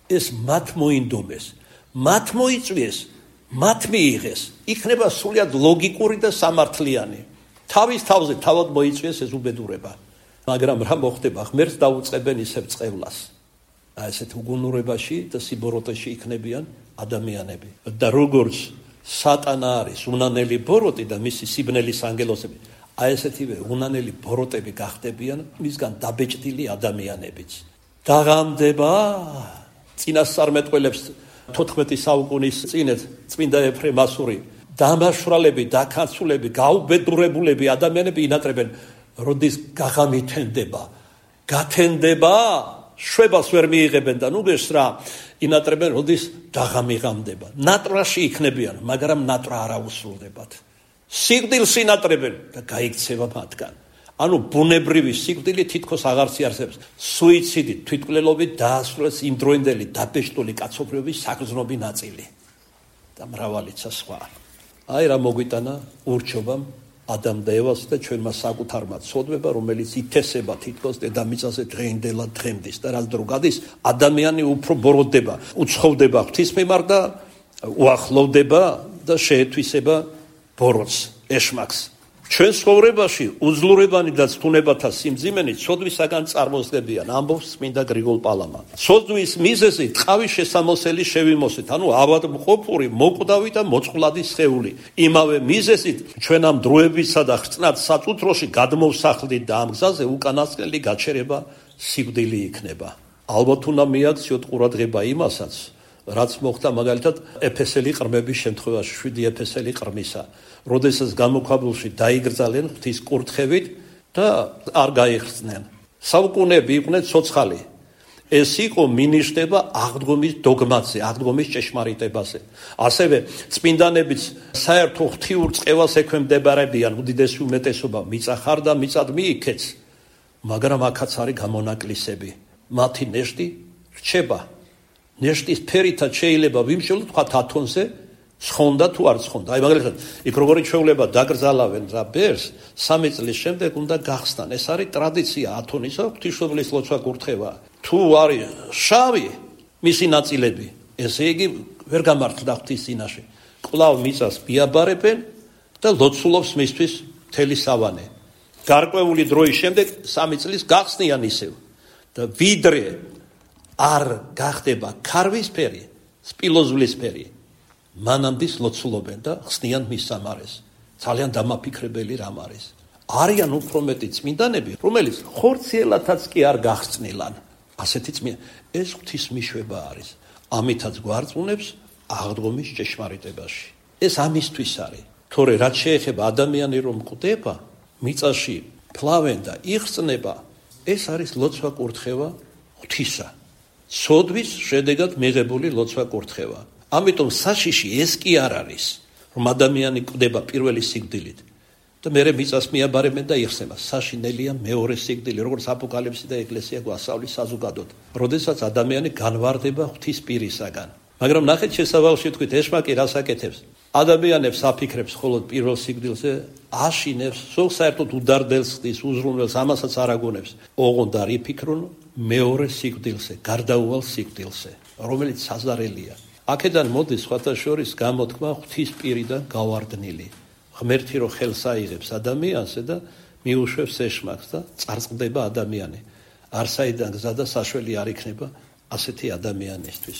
ეს მათ მოინდომეს, მათ მოიწვიეს, მათ მიიღეს. იქნება სრულიად ლოგიკური და სამართლიანი. თავის თავზე თავად მოიწვიეს ეს უბედურება. მაგრამ რა მოხდება? ღმერთს დაუწყებენ ისევ წყევლას. ესეთ უგუნურებაში და სიბოროტეში იქნებიან ადამიანები. და როგორც სატანა არის უნანელი ბოროტი და მისი სიბნელის ანგელოსები, ესეთივე უნანელი ბოროტები გახდებიან მისგან დაბეჭდილი ადამიანებიც. დაღამდება წინასწარმეტყველებს 14 საუკუნის წინეთ წმინდა ეფრემ ასური დამაშვრალები, დაქაცულები, გაუბედურებულები ადამიანები ინატრებენ, როდის გაღამითენდება, გათენდება, შვებას ვერ მიიღებენ და ნუგეს რა ინატრებენ, როდის დაღამიღამდება. ნატრაში იქნებიან, მაგრამ ნატრა არ აუსრულდებათ. სიკვდილს ინატრებენ და გაიქცევა მათგან. ანუ ბუნებრივი სიკვდილი თითქოს აღარ იარსებს. სუიციდი, თვითმკვლელობით დაასრულეს იმ დროინდელი დაბეჭდული კაცობრიობის საგრძნობი ნაწილი და მრავალიცა სხვა. აი რა მოგვიტანა ურჩობამ ადამ და ევას და ჩვენმა საკუთარმა ცოდვება, რომელიც ითესება თითქოს დედამიწაზე დღეინდელად დღემდის და რაც დრო გადის, ადამიანი უფრო ბოროტდება, უცხოვდება ღვთის მიმართ და უახლოვდება და შეეთვისება ბოროტს, ეშმაკს. ჩვენ ცხოვრებაში უძლურებანი და ცდუნებათა სიმძიმენი ცოდვისაგან წარმოსდებიან, ამბობს წმინდა გრიგოლ პალამა. ცოდვის მიზეზი ტყავის შესამოსელი შევიმოსით, ანუ ავადმყოფური, მოკვდავი და მოწყვლადი სხეული. იმავე მიზეზით ჩვენ ამ დროებისა და ხრწნად საწუთროში გადმოვსახლდით და ამ გზაზე უკანასკნელი გაჩერება სიკვდილი იქნება. ალბათ უნდა მიაქციოთ ყურადღება იმასაც, რაც მოხდა მაგალითად ეფესელი ყრმების შემთხვევაში, 7 ეფესელი ყრმისა, როდესაც გამოქვაბულში დაიგრძალენ ღვთის კურთხევით და არ გაიხსნენ. საუკუნეები იყვნენ ცოცხალი. ეს იყო მინიშნება აღდგომის დოგმაზე, აღდგომის ჭეშმარიტებაზე. ასევე წმინდანებიც საერთო ღვთიურ წყევას ექვემდებარებიან, უდიდესი უმეტესობა მიწა ხარ და მიწად მიიქეც, მაგრამ აქაც არის გამონაკლისები. მათი ნეშტი რჩება. ნეშტის ფერითაც შეიძლება ვიმშველოთ თქვა ათონზე ცხონდა თუ არ ცხონდა. აი მაგალითად, იქ როგორი ჩვეულება დაკრძალავენ რა ბერს, 3 წლის შემდეგ უნდა გახსნან. ეს არის ტრადიცია ათონისა, ღვთისმშობლის ლოცვა კურთხევა. თუ არის შავი მისი ნაწილები, ესე იგი ვერ გამართლდა ღვთის წინაშე. კვლავ მიწას მიაბარებენ და ლოცულობს მისთვის მთელი სავანე. გარკვეული დროის შემდეგ 3 წლის გახსნიან ისევ. და ვიდრე არ გახდება ქარვისფერი, სპილოზვლისფერი, მანამდე ლოცულობენ და ხსნიან მის სამარეს. ძალიან დამაფიქრებელი რამ არის. არიან უფრო მეტი წმინდანები, რომელიც ხორციელათაც კი არ გახსნილან. ასეთი ეს ღვთის მიშვება არის. ამითაც გვარწმუნებს აღდგომის ჭეშმარიტებაში. ეს ამისთვის არის. თორე რაც შეეხება ადამიანი რომ კვდება, მიწაში ფლავენ და იხსნება, ეს არის ლოცვა კურთხევა ღვთისა. სოდვის შედეგად მიღებული ლოცვა კურთხევა. ამიტომ საშიში ეს კი არ არის, რომ ადამიანი კვდება პირველი სიკვდილით და მერე მიწას მიაბარებენ და იხსნება. საშინელია მეორე სიკვდილი, როგორც აპოკალიფსი და ეკლესია გვასწავლის საზოგადოდ, როდესაც ადამიანი განვარდება ღვთის პირისაგან. მაგრამ ნახეთ შესავალში თქვით, ეშმაკი რას აკეთებს? ადამიანებს აფიქრებს მხოლოდ პირველ სიკვდილზე, აშინებს, სულ საერთოდ უდარდელს ხდის, უზრუნველს, ამასაც არ აგონებს. ოღონდ არ იფიქრონ მეორე სიკვდილზე, გარდაუვალ სიკვდილზე, რომელიც საზარელია. აქედან მოდის სხვათა შორის გამოთქმა ღვთის პირიდან გავარდნილი. ღმერთი რო ხელს აიღებს ადამიანზე და მიუშვებს ეშმაკს და წარწყდება ადამიანი. არსაიდან გზა და საშველი არ იქნება ასეთი ადამიანისთვის.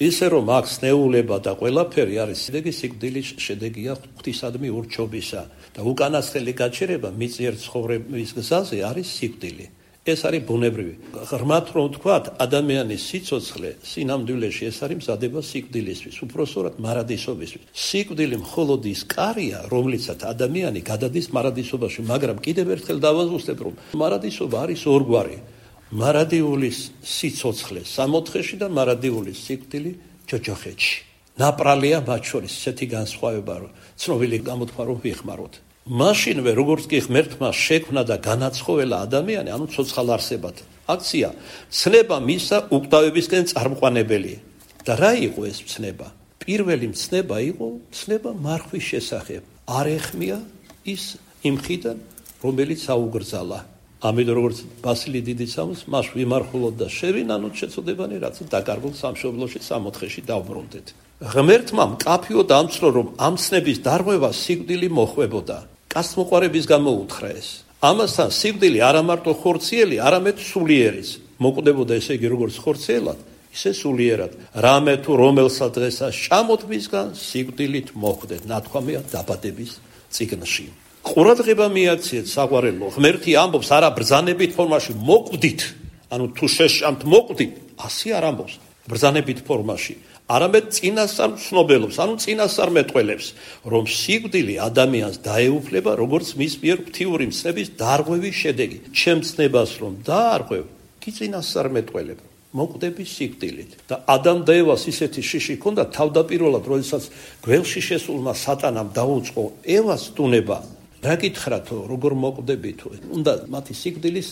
ისე რომ აქ სნეულება და ყველაფერი არის სიკვდილის შედეგია ღვთისადმი ურჩობისა და უკანასკნელი გაჩერება მიწიერ ცხოვრების გზაზე არის სიკვდილი. ეს არის ბუნებრივი. ღრმად რომ ვთქვათ, ადამიანის სიცოცხლე სინამდვილეში ეს არის მზადება სიკვდილისთვის, უпроსორად მარადისობისთვის. სიკვდილი მხოლოდ ის კარია, რომლიცაც ადამიანი გადადის მარადისობაში, მაგრამ კიდევ ერთხელ დავაზუსტებ, რომ მარადისობა არის ორგვარი. მარადიულის სიცოცხლე სამოთხეში და მარადიულის სიკვდილი ჯოჯოხეთში. ნაპრალია მათ შორის ესეთი განსხვავება, რომ ცნობილი გამოთქვა რომ ვიხმაროთ. მაშინვე როგორც კი ღმერთმა შექმნა და განაცხოველა ადამიანი, ანუ ცოცხალ არსებად, აქცია ცნება მისა უკვდავებისკენ წარმყვანებელი. და რა იყო ეს ცნება? პირველი ცნება იყო ცნება მარხვის შესახებ. არ ეხმია ის იმ ხიდან, რომელიც აუგრძალა. ამიტომ როგორც ბასილი დიდი სამოს მას ვიმარხულოთ და შევინანოთ შეწოდებანი, რაც დაკარგულ სამშობლოში სამოთხეში დავბრუნდეთ. ღმერთმა მკაფიო დამცრო, რომ ამ ცნების დარღვევა სიკვდილი მოხვებოდა. კაცმოყვარების გამოუთხრა ეს. ამასთან სიკვდილი არა მარტო ხორციელი, არამედ სულიერიც. მოკვდებოდა ესე იგი როგორც ხორციელად, ისე სულიერად. რამე თუ რომელსაც დღესაც ჭამოთ მისგან, სიკვდილით მოხვდეთ. ნათქვამია დაბადების წიგნში. ყურადღება მიაქციეთ საყვარელო. ღმერთი ამბობს არა ბრძანებით ფორმაში მოკვდით, ანუ თუ შეშამთ მოკვდით, ასე არ ამბობს ბრძანებით ფორმაში. არამედ წინასწარ ცნობელობს, ანუ წინასწარ მეტყველებს, რომ სიკვდილი ადამიანს დაეუფლება, როგორც მის მიერ ღვთიური მცნების დარღვევის შედეგი. ჩემ ცნებას რომ დაარღვევ, კი წინასწარ მეტყველებ, მოკვდები სიკვდილით. და ადამ და ევას ისეთი შიში ჰქონდა, თავდაპირველად, როდესაც გველში შესულმა სატანამ დაუწყო ევას ტუნება, რა გითხრათო, როგორ მოკვდები თუ? უნდა მათი სიკვდილის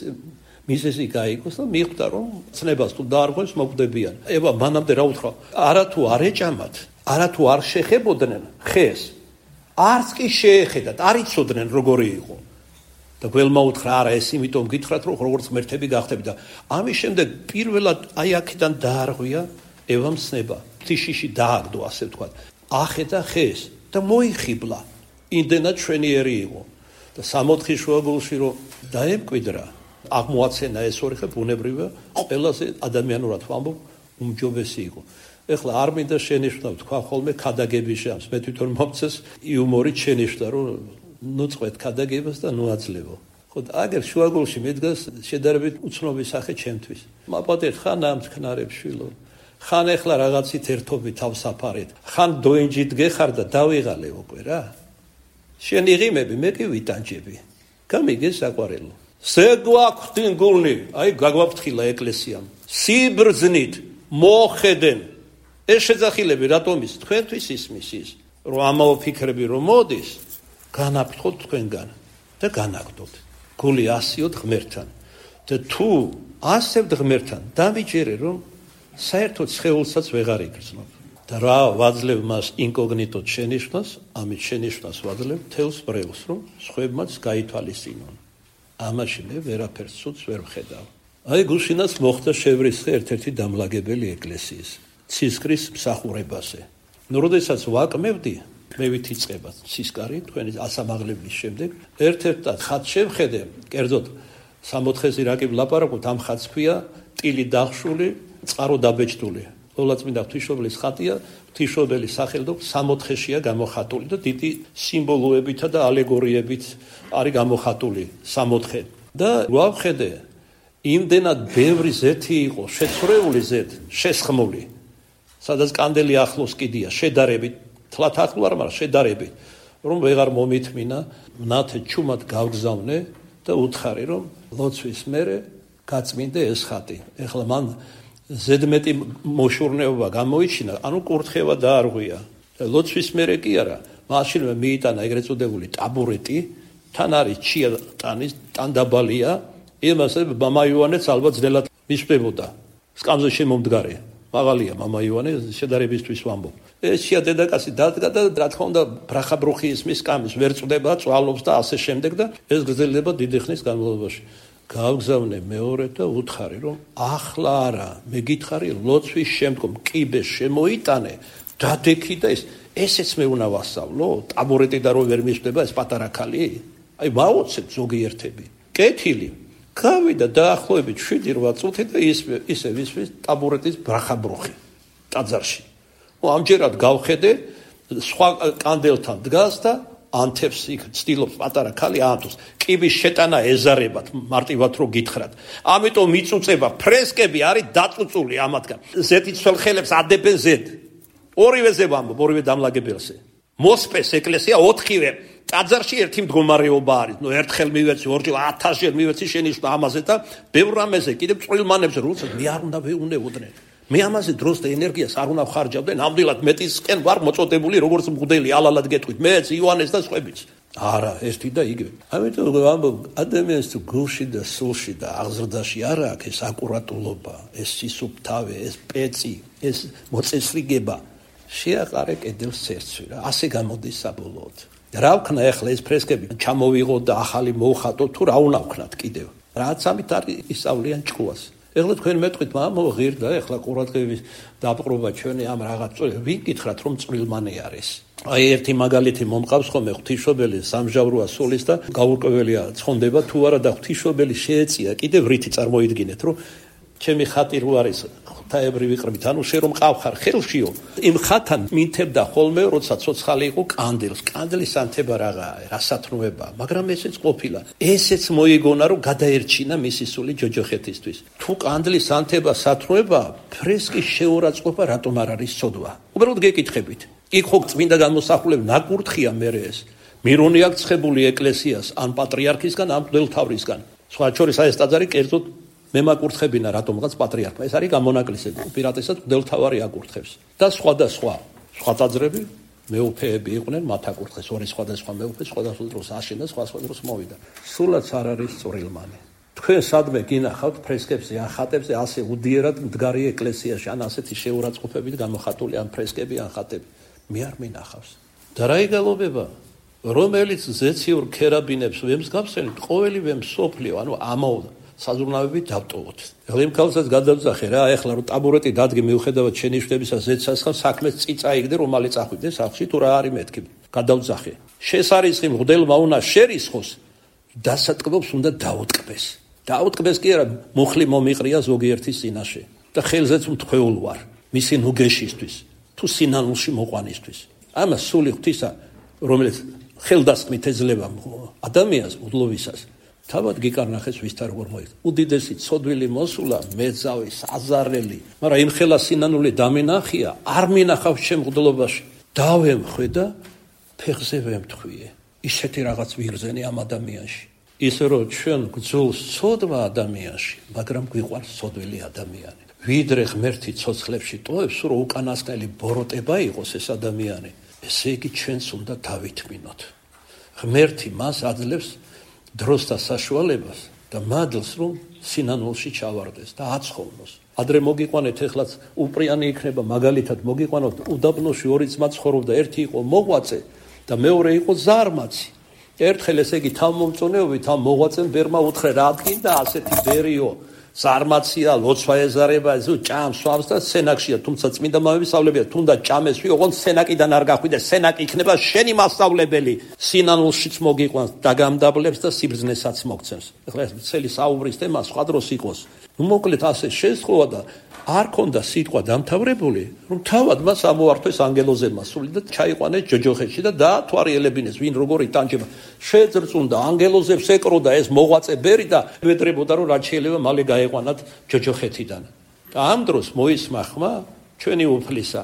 მიზეზი გაიგოს და მიხვდა რომ ცნებას თუ დაარღვევს მოკვდებიან. ევა მანამდე რა უთხრა? არა თუ არ ეჭამათ, არა თუ არ შეხებოდნენ ხეს, არც კი შეეხედათ, არ იცოდნენ როგორი იყო. და გველმა უთხრა არა ეს იმიტომ გითხრათ რომ როგორც ღმერთები გახდები და ამის შემდეგ პირველად აი აქედან დაარღვია ევამ ცნება. თიშიში დააგდო ასე ვთქვათ. ახედა ხეს და მოიხიბლა. იმდენად ჩვენიერი იყო და სამოთხის შუაგულში რომ დაემკვიდრა, აღმოაცენა ეს ორი ხე ბუნებრივია, ყველაზე ადამიანურად ვამბობ, უმჯობესი იყო. ეხლა არ მინდა შენიშვნა ვთქვა ხოლმე ქადაგების შანს. მე თვითონ მომწეს იუმორით შენიშვნა, რომ ნუ წყვეთ ქადაგებას და ნუ აძლევო. ხო აგერ შუაგულში მედგას შედარებით უცნობი სახე ჩემთვის. მაპატეთ ხან ამ თქნარებს შვილო. ხან ეხლა რაღაცით ერთობით თავსაფარეთ. ხან დოინჯით გეხარ და დავიღალე უკვე რა. შენ იღიმები, მე კი ვიტანჯები. გამიგე საყვარელო. ზეგვაქვთინ გულნი, აი გაგვაფრთხილა ეკლესიამ. სიბრძნით მოხედენ. ეს შეძახილები რატომ ის თქვენთვის ისმის ის, რომ ამაო ფიქრები რომ მოდის, განაფრთხოთ თქვენგან და განაგდოთ. გული ასიოთ ღმერთთან. და თუ ასევთ ღმერთთან, დამიჯერე რომ საერთოდ სხეულსაც ვეღარ იგრძნობ. და რა ვაძლევ მას ინკოგნიტოდ შენიშვნას, ამით შენიშვნას ვაძლევ თელს ბრევს, რომ სხვებმაც გაითვალისწინონ. ამაში მე ვერაფერს ცუდს ვერ ვხედავ. აი გუშინაც მოხდა შევრისხე ერთ-ერთი დამლაგებელი ეკლესიის ცისკრის მსახურებაზე. ნუ როდესაც ვაკმევდი, მე ვითიწყება ცისკარი თქვენი ასამაღლების შემდეგ, ერთ-ერთად ხატს შევხედე, კერძოდ 64-ზე რა კი ვლაპარაკობთ, ამ ხატს ქვია ტილი დახშული, წყარო დაბეჭდული. ლოლაწმინდა ღვთისმშობლის ხატია, ღვთისმშობლის სახელდო 64-შეა გამოხატული და დიდი სიმბოლოებითა და ალეგორიებით არის გამოხატული 64. და ვავხედე, იმდენად ბევრი ზეთი იყო, შეცვლეული ზეთ, შესხმული, სადაც კანდელი ახლოს კიდია, შედარებით, თლათ ახლო არ, მაგრამ შედარებით, რომ ვეღარ მომითმინა, ნათე ჩუმად გავგზავნე და უთხარი, რომ ლოცვის მერე გაწმინდე ეს ხატი. ეხლა მან ზედმეტი მოშურნეობა გამოიჩინა, ანუ კურთხევა დაარღვია. ლოცვის მერე კი არა, მაშინვე მიიტანა ეგრეთ წოდებული ტაბურეტი, თან არის ჩია ტანის, ტანდაბალია, იმას მამა იოანეც ალბათ ძნელად მისვდებოდა. სკამზე შემომდგარი. მაღალია მამა იოანე შედარებისთვის ვამბობ. ეს ჩია დედაკაცი დადგა და რა თქმა უნდა ბრახაბრუხი ისმის სკამის ვერ წვდება, წვალობს და ასე შემდეგ და ეს გრძელდება დიდი ხნის განმავლობაში. გავგზავნე მეორედ და უთხარი, რომ ახლა არა, მე გითხარი ლოცვის შემდგომ კიბეს შემოიტანე, დადექი და ესეც მე უნდა ვასწავლო, ტაბურეტი და რო ვერ მისვდება ეს პატარა ქალი? აი ვაოცებ ზოგიერთები. კეთილი. გავიდა დაახლოებით 7-8 წუთი და ისე ვისვის ტაბურეტის ბრახაბრუხი ტაძარში. ამჯერად გავხედე, სხვა კანდელთან დგას და ანთებს იქ ცდილობს პატარა ქალი აანთოს. კიბის შეტანა ეზარებათ, მარტივად რო გითხრათ. ამიტომ მიწუწება ფრესკები არის დაწუწული ამათგან. ზეთიცვალ ხელებს ადებენ ზედ. ორივეზე ვამბობ, ორივე დამლაგებელზე. მოსპეს ეკლესია 4-ვე ტაძარში ერთი მდგომარეობა არის. ნუ ერთხელ მივეცი, ორჯერ 1000-ჯერ მივეცი შენიშვნა ამაზე და ბევრ რამეზე კიდევ წვრილმანებზე როცა მე არ უნდა ვეუნებოდნენ. მე ამაზე დროს და ენერგიას არ უნდა ვხარჯავდე, ნამდვილად მეტისკენ ვარ მოწოდებული, როგორც მღვდელი, ალალად გეტყვით, მეც, იოანეს და სხვებიც. არა, ერთი და იგივე. ამიტომ ვამბობ, ადამიანს თუ გულში და სულში და აღზრდაში არ აქვს ეს აკურატულობა, ეს სისუფთავე, ეს პეცი, ეს მოწესრიგება, შეაყარე კედელს ცერცვი რა. ასე გამოდის საბოლოოდ. რა ვქნა ახლა ეს ფრესკები ჩამოვიღო და ახალი მოვხატო თუ რა უნდა ვქნათ კიდევ. რაც ამით არის ისწავლიან ჭკუას. ეხლა თქვენ მეტყვით, მამო ღირდა, ეხლა ყურადღების დაპყრობა ჩვენი ამ რაღაც ვინ გითხრათ რომ წვრილმანი არის. აი ერთი მაგალითი მომყავს ხოლმე ღვთისმშობელი სამჟავროა სულის და გაურკვეველია ცხონდება თუ არა და ღვთისმშობელი შეეწია კიდევ რითი წარმოიდგინეთ რომ ჩემი ხატი რო არის ღვთაებრივი ვიყრებით, ანუ შე რომ ყავხარ ხელშიო, იმ ხათან მინთებდა ხოლმე, როცა ცოცხალი იყო კანდელს. კანდლის ანთება რაღაცაა, რასათნოება, მაგრამ ესეც ყოფილა. ესეც მოიგონა რომ გადაერჩინა მისი სული ჯოჯოხეთისთვის. თუ კანდლის ანთება სათნოება, ფრესკის შეურაცხყოფა რატომ არ არის ცოდვა? უბრალოდ გეკითხებით. იქ ხო წმინდა გამოსახულები ნაკურთხია მერე ეს. მირონი აქვს ცხებული ეკლესიას, ან პატრიარქისგან, ან მღვდელმთავრისგან. სხვა შორის ეს ტაძარი კერძოდ მე მაკურთხებინა რატომღაც პატრიარქმა. ეს არის გამონაკლისები. უპირატესად მღვდელმთავარი აკურთხებს. და სხვა ტაძრები მეუფეები იყვნენ, მათ აკურთხეს. ორი სხვადასხვა მეუფე სხვადასხვა დროს აშენდა, სხვა დროს მოვიდა. სულაც არ არის წვრილმანი. თქვენ სადმე გინახავთ ფრესკებზე, ან ხატებზე ასე უდიერად მდგარი ეკლესიაში, ან ასეთი შეურაცხყოფებით გამოხატული ან ფრესკები, ან ხატები. მე არ მინახავს. და რა იგალობება? რომელიც ზეციურ ქერაბინებს ვემსგავსენით, ყოველივე მსოფლიო, ანუ ამაოდ საზრუნავებით დავტოვოთ. ეხლა იმ ქალსაც გადავძახე რა, ეხლა რომ ტაბურეტი დადგე მიუხედავად შენიშვნებისა ზეცასხამ საქმეს წიწაიგდე რომ მალე წახვიდე სახლში თუ რა არის მეთქი. გადავძახე. შესარისხი მღვდელმა უნდა შერისხოს, დასატკბობს უნდა დაუტკბეს. დაუტკბეს კი არა, მუხლი მომიყრია ზოგიერთის წინაშე და ხელზეც მთხვეულ ვარ მისი ნუგეშისთვის თუ სინანულში მოყვანისთვის. ამა სული ღვთისა, რომელიც ხელდასხმით ეძლევა ადამიანს უდლოვისას, თავად გიკარნახეს ვის და როგორ მოიხდა. უდიდესი ცოდვილი მოსულა, მეძავი, საზარელი, მაგრამ იმ ხელა სინანული დამენახია, არ მინახავს შემღდლობაში. დავემხვე და ფეხზე ვემთხვიე. ისეთი რაღაც ვიღზენი ამ ადამიანში. ისე რომ ჩვენ გძულს ცოდვა ადამიანში, მაგრამ გვიყვარს ცოდვილი ადამიანი. ვიდრე ღმერთი ცოცხლებში ტოვებს, რომ უკანასკნელი ბოროტება იყოს ეს ადამიანი, ესე იგი ჩვენც უნდა დავითმინოთ. ღმერთი მას აძლევს დროს და საშუალებას და მადლს, რომ სინანულში ჩავარდეს და აცხოვნოს. ადრე მოგიყვანეთ, ეხლაც უპრიანი იქნება, მაგალითად მოგიყვანოთ, უდაბნოში ორი ძმა ცხოვრობდა, ერთი იყო მოღვაწე და მეორე იყო ზარმაცი. ერთხელ ესე იგი თავმომწონეობით ამ მოღვაწემ ბერმა უთხრე, რა დგინდა ასეთი ბერიო, ზარმაცია, ლოცვა ეზარება, ჭამს, სვამს და სენაკშია, თუმცა წმინდა მამებისავლებია, თუნდაც ჭამეს ვიღონ სენაკიდან არ გახვიდე, სენაკი იქნება შენი მასწავლებელი, სინანულშიც მოგიყვანს, დაგამდაბლებს და სიბრძნესაც მოგცემს. ეხლა ეს მთელი საუბრის თემა სხვა დროს იყოს. მოკლედ ასე შესხოვა და არ ქონდა სიტყვა დამთავრებული, რომ თავად მას ამოართვეს ანგელოზებმა სული და ჩაიყვანეს ჯოჯოხეთში და დაათვალიერებინეს, ვინ როგორი ტანჯება. შეძრწუნდა ანგელოზებს ეკროდა ეს მოღვაწე ბერი და ვედრებოდა, რომ რაც შეიძლება მალე გაეყვანათ ჯოჯოხეთიდან. და ამ დროს მოისმა ხმა ჩვენი უფლისა.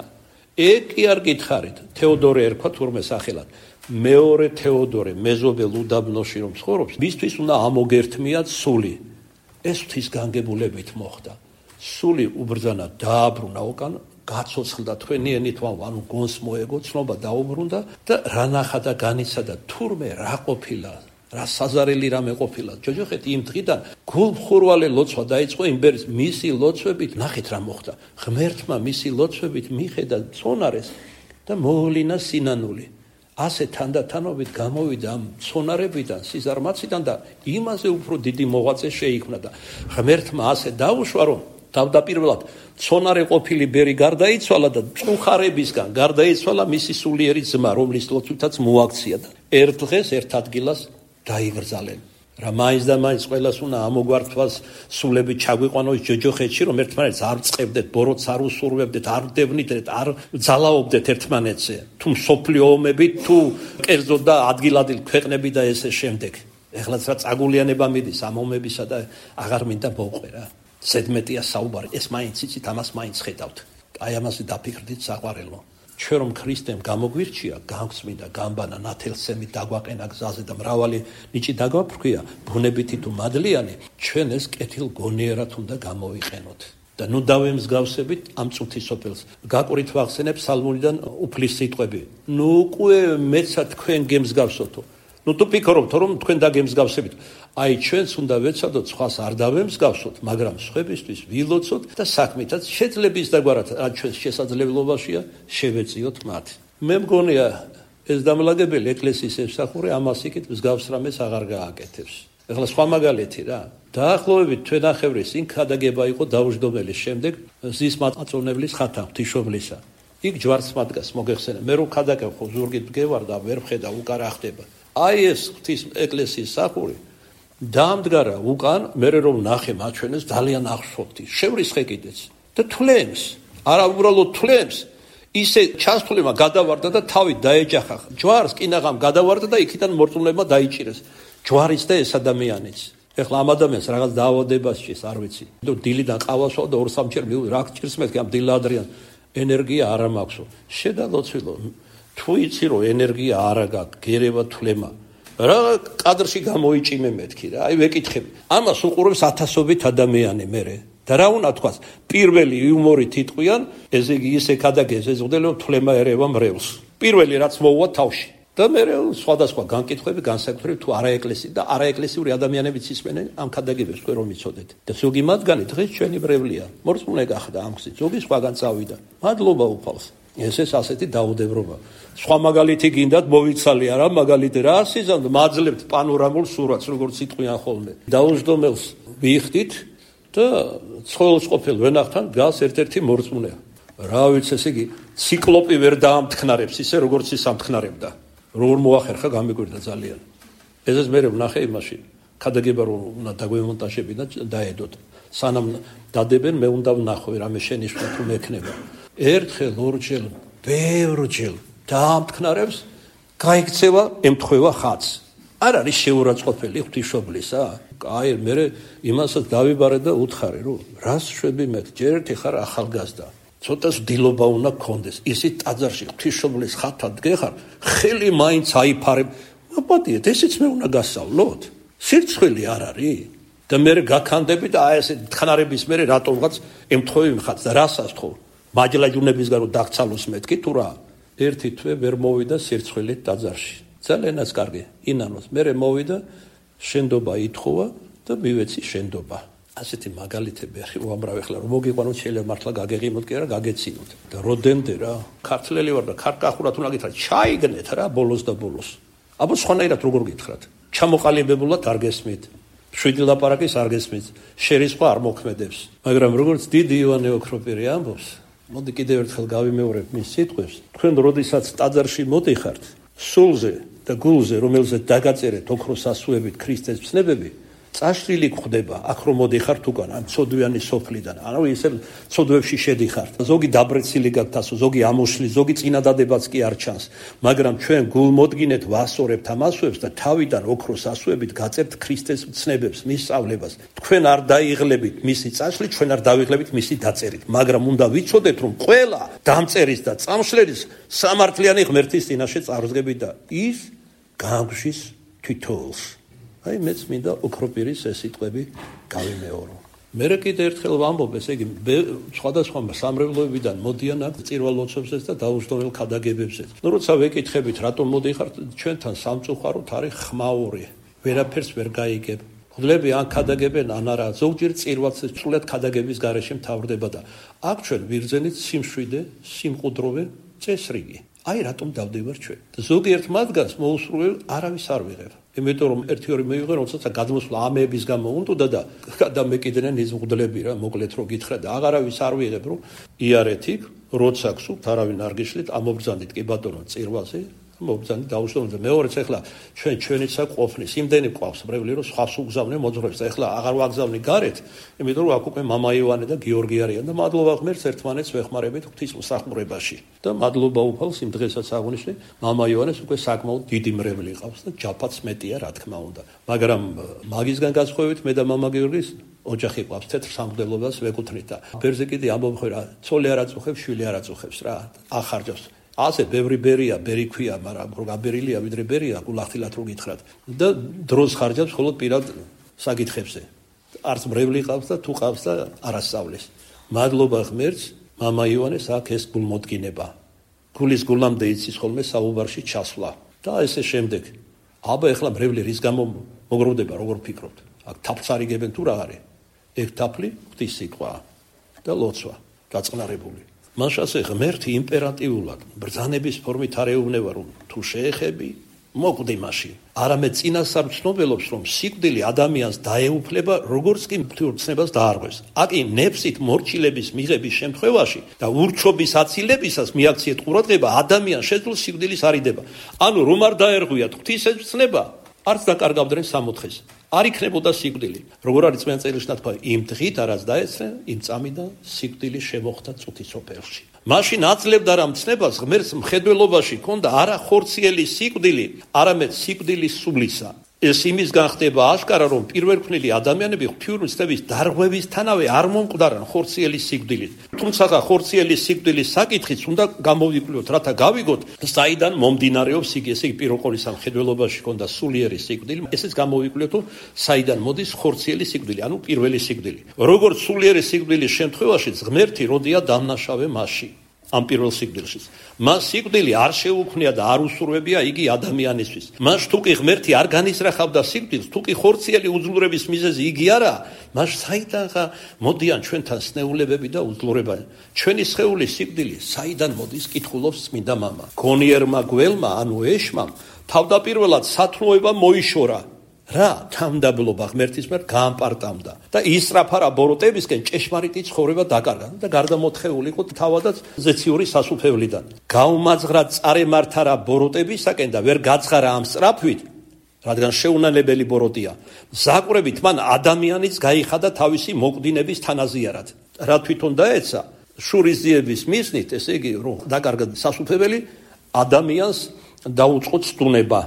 კი არ გითხარით, თეოდორე ერქვა თურმე სახელად. მეორე თეოდორე მეზობელ უდაბნოში რომ ცხოვრობს, მისთვის უნდა ამოგერთმიათ სული. ეს ღვთის განგებულებით მოხდა. სული უბრძანა, დააბრუნა უკან, გაცოცხლდა თქვენიენით, ანუ გონს მოეგო, ცნობა დაუბრუნდა და რა ნახა და განიცადა, თურმე რა ყოფილა, რა საზარელი რამე ყოფილა. ჯოჯოხეთი იმ დღიდან გულმხურვალე ლოცვა დაიწყო იმ ბერის, მისი ლოცვებით, ნახეთ რა მოხდა. ღმერთმა მისი ლოცვებით მიხედა ცონარეს და მოულინა სინანული. ასე თანდათანობით გამოვიდა ამ ცონარებიდან, სიზარმაციდან და იმაზე უფრო დიდი მოღვაწე შეიქმნა და ღმერთმა ასე დაუშვა, რომ თავდაპირველად ცონარე ყოფილი ბერი გარდაიცვალა და წუხარებისგან გარდაიცვალა მისი სულიერი ძმა, რომლის ლოცვითაც მოაქცია და ერთ დღეს ერთ ადგილას დაიგრძალენ. რა მაინც და მაინც ყველას უნდა ამოგვართვას სულები ჩაგვიყვანოს ჯოჯოხეთში, რომ ერთმანეთს არ წებდეთ, ბოროტს არ უსურვებდეთ, არ დევნიდეთ, არ ძალაობდეთ ერთმანეთზე. თუ მსოფლიო ომები, თუ კერძო და ადგილ-ადგილ ქვეყნები და ესე შემდეგ. ეხლაც რა წაგულიანება მიდის ამ ომებისა და აღარ მინდა მოვყვე რა. ზედმეტია საუბარი, ეს მაინც იცით, ამას მაინც ხედავთ. აი ამაზე დაფიქრდით საყვარელო. ჩვენ რომ ქრისტემ გამოგვირჩია, გამსმინდა, გამბანა, ნათელსემი დაგვაყენა გზაზე და მრავალი ნიჭი დაგვაფრქვია, ბუნებითი თუ მადლიანი, ჩვენ ეს კეთილ გონიერად უნდა გამოვიყენოთ. და ნუ დავემსგავსებით ამ წუთის სოფელს. გაყვრით ვახსენებ სალმუნიდან უფლის სიტყვები. ნუ უკვე მეცა თქვენ გემსგავსოთო. ნუ თუ ფიქრობთ, რომ თქვენ დაგემსგავსებით. აი ჩვენც უნდა ვეცადოთ, სხვას არ დავემსგავსოთ, მაგრამ სხვებისთვის ვილოცოთ და საქმითაც შეძლების დაგვარად, რაც ჩვენს შესაძლებლობაშია, შევეწიოთ მათ. მე მგონია ეს დამლაგებელი ეკლესიის ემსახურე ამას იქით მსგავს რამეს აღარ გააკეთებს. ეხლა სხვა მაგალითი რა. დაახლოებით თვენახევრის წინ ქადაგება იყო დაუჯდომელის შემდეგ ზის მაწონებლის ხათა ღვთისმშობლისა. იქ ჯვარს მადგას მოგეხსენე. მე რო ქადაგებ ხო ზურგით მგევარ და ვერ ხედა უკარა ხდება. აი ეს ღვთის ეკლესიის სახური დამდგარა უკან, მე რომ ნახე მაჩვენეს ძალიან აღშფოთი. შევრისხე კიდეც და თვლემს, არა უბრალოდ თვლემს, ისე ჩასთვლება გადავარდა და თავით დაეჯახა. ჯვარს კინაღამ გადავარდა და იქიდან მორწმუნეებმა დაიჭირეს. ჯვარის და ეს ადამიანიც. ეხლა ამ ადამიანს რაღაც დაავადება შეეს, არ ვიცი. დილიდან ყავასვა და 2-3 ჯერ რა ჭირს მეთქი ამ დილადრიან ენერგია არ მაქვსო. შედალოცვილო, თუ იცი რომ ენერგია არა გაქვს, გერევა თვლემა. რა კადრში გამოიჭიმე მეთქი რა, აი ვეკითხები. ამას უყურებს ათასობით ადამიანი მერე. და რა უნდა თქვას, პირველი იუმორით იტყვიან, ესე იგი ისე ქადაგეს ეზღუდელო თვლემა ერევა მრევლს. პირველი რაც მოუვა თავში. და მე სხვადასხვა განკითხვები განსაკუთრებით თუ არაეკლესიური და არაეკლესიური ადამიანებიც ისმენენ ამ ქადაგებებს თქვენ რომ იცოდეთ. და ზოგი მათგანი დღეს ჩვენი ბრევლია. მორწმუნე გახდა ამ გზით, ზოგი სხვაგან წავიდა. მადლობა უფალს. ეს ასეთი დაუდევრობა. სხვა მაგალითი გინდათ მოვიცალე არა მაგალითი რა სიზამთ მაძლებთ პანორამულ სურათს როგორც იტყვიან ხოლმე. დაუჯდომელს ვიხდით და ცხოველს ყოფილ ვენახთან გას ერთ-ერთი მორწმუნე. რა ვიცი ესე იგი ციკლოპი ვერ დაამთქნარებს ისე როგორც ის ამთქნარებდა. როგორ მოახერხა გამიგვირდა ძალიან. ესეც მე ვნახე იმაში. ქადაგება რომ უნდა დაგვემონტაჟები და დაედოთ. სანამ დადებენ მე უნდა ვნახო რამე შენიშვნა თუ მექნება. ერთხელ ორჯერ, ბევრჯერ დაამთქნარებს, გაიქცევა, ემთხვევა ხატს. არ არის შეურაცხყოფელი ღვთისმშობლისა? აი, მე იმასაც დავიბარე და უთხარი, რომ რას შვები მე? ჯერ ერთი ხარ ახალგაზრდა. ცოტას დილობა უნდა გქონდეს. ისიც ტაძარში ღვთისმშობლის ხათად გეხარ, ხელი მაინც აიფარებ. მაპატიეთ, ესეც მე უნდა გასავლოთ. სირცხვილი არ არის? და მე გაქანდები და აი ესე თხნარების მე რატომღაც ემთხოვი მხარს და რასას თქო? მაჯლაჯუნებისგან რომ დაგცალოს მეთქი თუ რა? ერთი თვე ვერ მოვიდა სირცხვილით ტაძარში. ძალიანაც კარგი ინანოს. მე მოვიდა შენდობა ითხოვა და მივეცი შენდობა. ასეთი მაგალითები ახი უამრავი ხლა რომ მოგიყვანოთ შეიძლება მართლა გაგეღიმოთ კი არა გაგეცინოთ. და როდემდე რა ქართველი ვარ და ქარკახურად უნდა გითხრათ ჩაიგნეთ რა ბოლოს და ბოლოს. აბა სხვანაირად როგორ გითხრათ? ჩამოყალიბებულად არ გესმით. შვიდი ლაპარაკის არ გესმით. შერისხვა არ მოქმედებს. მაგრამ როგორც დიდი ივანე ოქროპირი ამბობს, მოდი კიდევ ერთხელ გავიმეორებ მის სიტყვებს. თქვენ როდესაც ტაძარში მოდიხართ, სულზე და გულზე, რომელზეც დაგაწერეთ ოქროს ასუებით ქრისტეს ცნებები, წაშლილი გვხდება, აქ რომ მოდიხართ უკან, ამ ცოდვიანი სოფლიდან. ანუ ისე ცოდვებში შედიხართ. ზოგი დაბრეცილი გაქვთ ასო, ზოგი ამოშლი, ზოგი წინადადებაც კი არ ჩანს. მაგრამ ჩვენ გულმოდგინეთ ვასწორებთ ამ ასუებს და თავიდან ოქროს ასუებით გაწერთ ქრისტეს ცნებებს, მის სწავლებას. თქვენ არ დაიღლებით მისი წაშლით, ჩვენ არ დავიღლებით მისი დაწერით. მაგრამ უნდა ვიცოდეთ, რომ ყველა დამწერის და წამშლელის სამართლიანი ღმერთის წინაშე წარსდგებით და ის გაგვშის თითოეულს. აი მეც მინდა ოქროპირის ეს სიტყვები გავიმეორო. მე კიდე ერთხელ ვამბობ, ესე იგი სხვადასხვა სამრევლოებიდან მოდიან აქ წირვალოცებსაც და დაუსტოვრელ ქადაგებებსაც. ნუ როცა ვეკითხებით, რატომ მოდიხართ, ჩვენთან სამწუხაროდ არის ხმაური. ვერაფერს ვერ გაიგებ. ღვთლები ან ქადაგებენ, ან არა. ზოგჯერ წირვალს სრულად ქადაგების გარეშე მთავრდება და აქ ჩვენ ვირძენით სიმშვიდე, სიმყუდროვე წესრიგი. აი რატომ დავდივარ ჩვენ? ზოგიერთ მათგანს მოусურველ არავის არ ვიღებ. იმიტომ რომ ერთი-ორი მივიღე, როცა გადმოსვლა ამეების გამო უნდა და გადამეკიდნენ ის მღვდლები რა, მოკლედ რო გითხრა და აღარავის არ ვიღებ, რომ იარეთ იქ, როცა გსურთ, არავინ არ გიშლით, ამობრძანდით კი ბატონო წირვალზე, მობრძანდით დაუშოვეთ და მეორეც ახლა ჩვენიცა ყოფნის, იმდენი ყავს ბრევლი რომ სხვას უგზავნე მოძღვრებს და ახლა აღარ ვაგზავნი გარეთ, იმიტომ რომ აქ უკვე მამა ივანე და გიორგი არიან და მადლობა ღმერთს ერთმანეთს ვეხმარებით ღვთისმსახურებაში. და მადლობა უფალს იმ დღესაც აღნიშნე, მამა ივანეს უკვე საკმაოდ დიდი მრევლი ყავს და ჯაფაც მეტია რა თქმა უნდა. მაგრამ მაგისგან გასხოვებით მე და მამა გიორგის ოჯახი ყავს თეთრ სამღვდელობას ვეკუთვნით და ბერზე კიდე ამბობ რა, ცოლი არ აწუხებს, შვილი არ აწუხებს რა, ახარჯავს. ასე ბევრი ბერია, ბერი ქვია, მაგრამ რო გაბერილია ვიდრე ბერია, გულახდილად რო გითხრათ. და დროს ხარჯავს მხოლოდ პირად საკითხებზე. არც მრევლი ყავს და თუ ყავს და არასწავლის. მადლობა ღმერთს, მამა ივანეს აქ ეს გულმოდგინება. გულის გულამდე იცის ხოლმე საუბარში ჩასვლა. და ესე შემდეგ. აბა ეხლა მრევლი რის გამო მოგროვდება, როგორ ფიქრობთ? აქ თაფლს არიგებენ თუ რა არის? ეგ თაფლი ღვთის სიტყვაა და ლოცვა, დაწყნარებული. მაშასე ღმერთი იმპერატიულად ბრძანების ფორმით არ ეუბნება რომ თუ შეეხები მოკვდი მაშინ. არამედ წინასწარ ცნობელობს რომ სიკვდილი ადამიანს დაეუფლება როგორც კი ღვთისმცნებას დაარღვევს. აკი ნეფსით მორჩილების მიღების შემთხვევაში და ურჩობის აცილებისას მიაქციეთ ყურადღება ადამიანს შეძლოს სიკვდილის არიდება. ანუ რომ არ დაერღვიათ ღვთისმცნება არც დაკარგავდნენ სამოთხეს. არ იქნებოდა სიკვდილი. როგორ არის წმინდა წერილში ნათქვამი, იმ დღით არაც დაეცნენ, იმ წამიდან სიკვდილი შემოხდა წუთის სოფელში. მაშინ აძლევდა რა მცნებას ღმერთს მხედველობაში ქონდა არა ხორციელი სიკვდილი, არამედ სიკვდილის სულისა. ეს იმისგან ხდება აშკარა, რომ პირველქმნილი ადამიანები ღვთისმცნების დარღვევისთანავე არ მომკვდარან ხორციელი სიკვდილით. თუმცა ხორციელი სიკვდილის საკითხიც უნდა გამოვიკვლიოთ, რათა გავიგოთ, საიდან მომდინარეობს იგი, ესე იგი პირველ ყოვლისა მხედველობაში ქონდა სულიერი სიკვდილი, ესეც გამოვიკვლიოთ, რომ საიდან მოდის ხორციელი სიკვდილი, ანუ პირველი სიკვდილი. როგორც სულიერი სიკვდილის შემთხვევაში ღმერთი როდია დამნაშავე მასში. ამ პირველ სიკვდილში. მას სიკვდილი არ შეუქმნია და არ უსურვებია იგი ადამიანისთვის. მას თუკი ღმერთი არ განისრახავდა სიკვდილს, თუკი ხორციელი უძლურების მიზეზი იგი არა, მას საიდანღა მოდიან ჩვენთან სნეულებები და უძლურება. ჩვენი სხეულის სიკვდილი საიდან მოდის, კითხულობს წმინდა მამა. გონიერმა გველმა, ანუ ეშმამ, თავდაპირველად სათნოება მოიშორა. რა თამდაბლობა ღმერთის მიერ გაამპარტამდა და ისრაფარა ბოროტებისკენ ჭეშმარიტი ცხოვრება დაკარგა და გარდამოთხეული იყო თავადაც ზეციური სასუფევლიდან. გაუმაძღრა წარემართარა ბოროტებისაკენ და ვერ გაცხარა ამ სწრაფვით, რადგან შეუნანებელი ბოროტია. ზაკვრებით მან ადამიანიც გაიხადა თავისი მოკვდინების თანაზიარად. რა თვითონ დაეცა შურის ძიების მისნით, ესე იგი რომ დაკარგა სასუფეველი ადამიანს დაუწყო ცდუნება.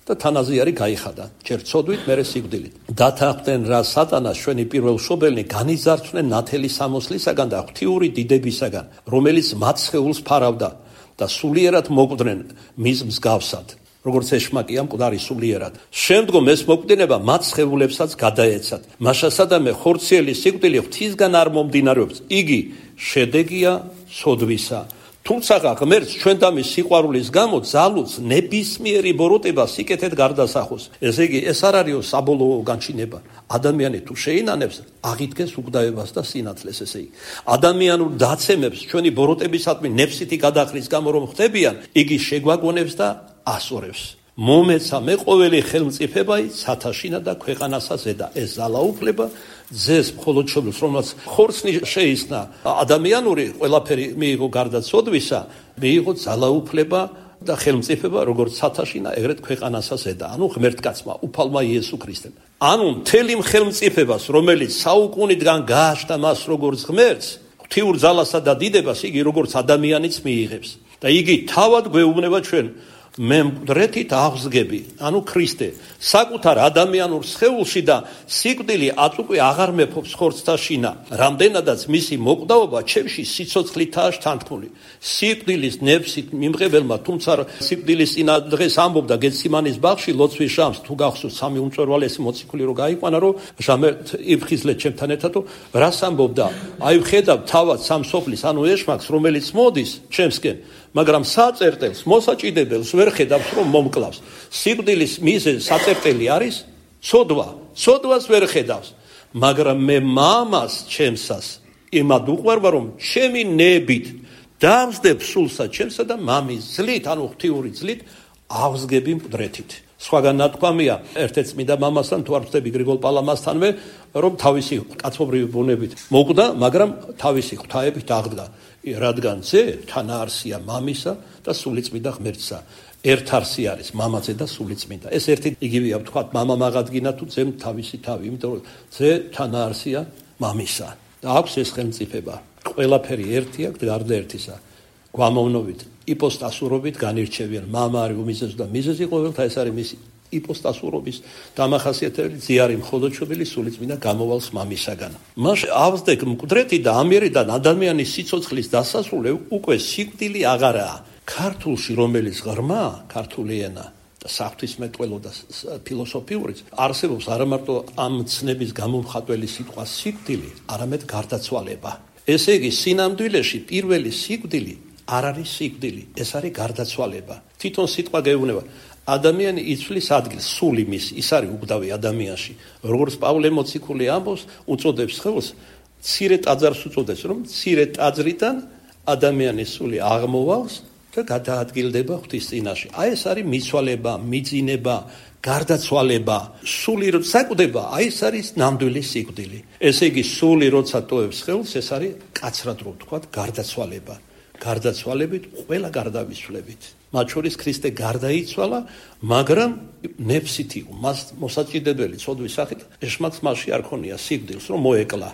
და თანაზე არის გაიხადა. ჯერ ცოდვით, მერე სიკვდილით. დათანხმდნენ რა სატანას ჩვენი პირველშობელნი განიზარცნენ ნათელი სამოსლისაგან და ღვთიური დიდებისაგან, რომელიც მათ სხეულს ფარავდა და სულიერად მოკვდნენ მის მსგავსად. როგორც ეშმაკია მკვდარი სულიერად. შემდგომ ეს მოკვდინება მათ სხეულებსაც გადაეცათ. მაშასადამე ხორციელი სიკვდილი ღვთისგან არ მომდინარეობს. იგი შედეგია ცოდვისა. თუმცა ღმერთს ჩვენ და მის სიყვარულის გამო ძალუց ნებისმიერი ბოროტება სიკეთეთ გარდასახოს. ესე იგი, ეს არ არის საბოლოო განჩინება. ადამიანი თუ შეინანებს, აღიდგეს უგდავებას და სინათლეს, ესე იგი. ადამიანურ დაცემებს ჩვენი ბოროტებისადმი ნებსითი გადახრის გამო რომ ხდებიან, იგი შეგვაგონებს და ასორებს. მომეცა მე ყოველი ხელმწიფებაი ცათაშინა და ქვეყანასა ზედა. ეს ძალაუფლება ძეს მხოლოდ შობილს, რომელსაც ხორცნი შეისნა ადამიანური ყველაფერი მიიღო გარდა ცოდვისა, მიიღო ძალაუფლება და ხელმწიფება როგორც ცათაშინა, ეგრეთ ქვეყანასა ზედა. ანუ ღმერთკაცმა, უფალმა იესო ქრისტემ. ანუ მთელი ხელმწიფებას, რომელიც საუკუნიდან გააჩნდა მას როგორც ღმერთს, ღვთიურ ძალასა და დიდებას იგი როგორც ადამიანიც მიიღებს. და იგი თავად გვეუბნება ჩვენ მე მკვდრეთით აღსგები, ანუ ქრისტე, საკუთარ ადამიანურ სხეულში და სიკვდილი აწუყვი აღარ მეფობს ხორცთა შინა, რამდენადაც მისი მოკვდაობა ჩემში სიცოცხლითაა შთანთქმული. სიკვდილის ნებსით მიმღებელმა, თუმცა სიკვდილის წინა დღეს ამბობდა გეციმანის ბაღში ლოცვის ჟამს, თუ გახსოვთ სამი უმწვერვალესი მოციქული რო გაიყვანა, რომ ჟამე იფხიზლეთ ჩემთან ერთად, რას ამბობდა? აი ვხედავ თავად სამსოფლის, ანუ ეშმაკს, რომელიც მოდის ჩემსკენ, მაგრამ საწერტელს, მოსაჭიდებელს ვერ ხედავს, რომ მომკლავს. სიკვდილის მიზეზი საწერტელი არის ცოდვა. ცოდვას ვერ ხედავს. მაგრამ მე მამას ჩემსას იმად უყვარვა, რომ ჩემი ნებით დავსდებ სულსა ჩემსა და მამის ძლით, ანუ ღვთიური ძლით ავსგები მკვდრეთით. სხვაგან ნათქვამია ერთ-ერთ წმინდა მამასთან, თუ არ ვწდები გრიგოლ პალამასთანვე, რომ თავისი კაცობრივი ბუნებით მოკვდა, მაგრამ თავისი ღვთაებით აღდგა. რადგან ძე თანაარსია მამისა და სულიწმინდა ღმერთსა. ერთ არსი არის მამაძე და სულიწმინდა. ეს ერთი იგივეა, ვთქვათ, მამა მაგადგინა თუ ძემ თავისი თავი, იმიტომ რომ ძე თანაარსია მამისა და აქვს ეს ხელმწიფება. ყველაფერი ერთია, გარდა ერთისა. გვამოვნობით, იპოსტასურობით განირჩევიან. მამა არის უმიზეზო და მიზეზი ყოველთა, ეს არის მისი იპოსტასურობის დამახასიათებელი, ძე არის მხოლოდ შობილი, სულიწმინდა გამოვალს მამისაგან. მაშ ავსდეკ მკვდრეთი და ამიერიდან ადამიანის სიცოცხლის დასასრულე უკვე სიკვდილი აღარაა. ქართულში რომელიც ღრმა, ქართული ენა და საღვთისმეტყველო და ფილოსოფიურიც არსებობს არა მარტო ამ ცნების გამომხატველი სიტყვა სიკვდილი, არამედ გარდაცვალება. ესე იგი, სინამდვილეში პირველი სიკვდილი არ არის სიკვდილი, ეს არის გარდაცვალება. თვითონ სიტყვა გეუბნება ადამიანი იცვლის ადგილს, სული მის, ის არის უგდავი ადამიანში. როგორც პავლე მოციქული ამბობს, უწოდებს ხელს, მცირე ტაძარს უწოდებს, რომ მცირე ტაძრიდან ადამიანის სული აღმოვავს და გადაადგილდება ღვთის წინაშე. აი ეს არის მიცვალება, მიძინება, გარდაცვალება. სული როცა საკვდება, აი ეს არის ნამდვილი სიკვდილი. ესე იგი, სული როცა ტოვებს ხელს, ეს არის კაცრად რო ვთქვათ, გარდაცვალება. გარდაცვალებით ყველა გარდავიცვლებით. მათ შორის ქრისტე გარდაიცვალა, მაგრამ ნებსით იყო მას მოსაჭიდებელი ცოდვის სახით. ეშმაკს მასში არ ქონია სიკვდილს, რომ მოეკლა.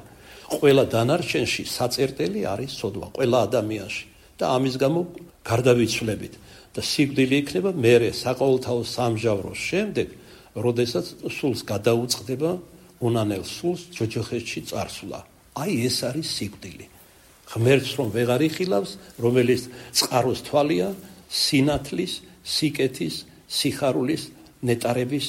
ყველა დანარჩენში საწერტელი არის ცოდვა, ყველა ადამიანში და ამის გამო გარდავიცვლებით და სიკვდილი იქნება მერე საყოველთაო სამჟავროს შემდეგ, როდესაც სულს გადაუწყდება უნანელ სულს ჯოჯოხეთში წარსვლა. აი ეს არის სიკვდილი. ღმერთს რომ ვეღარ იხილავს, რომელიც წყაროს თვალია, სინათლის, სიკეთის, სიხარულის, ნეტარების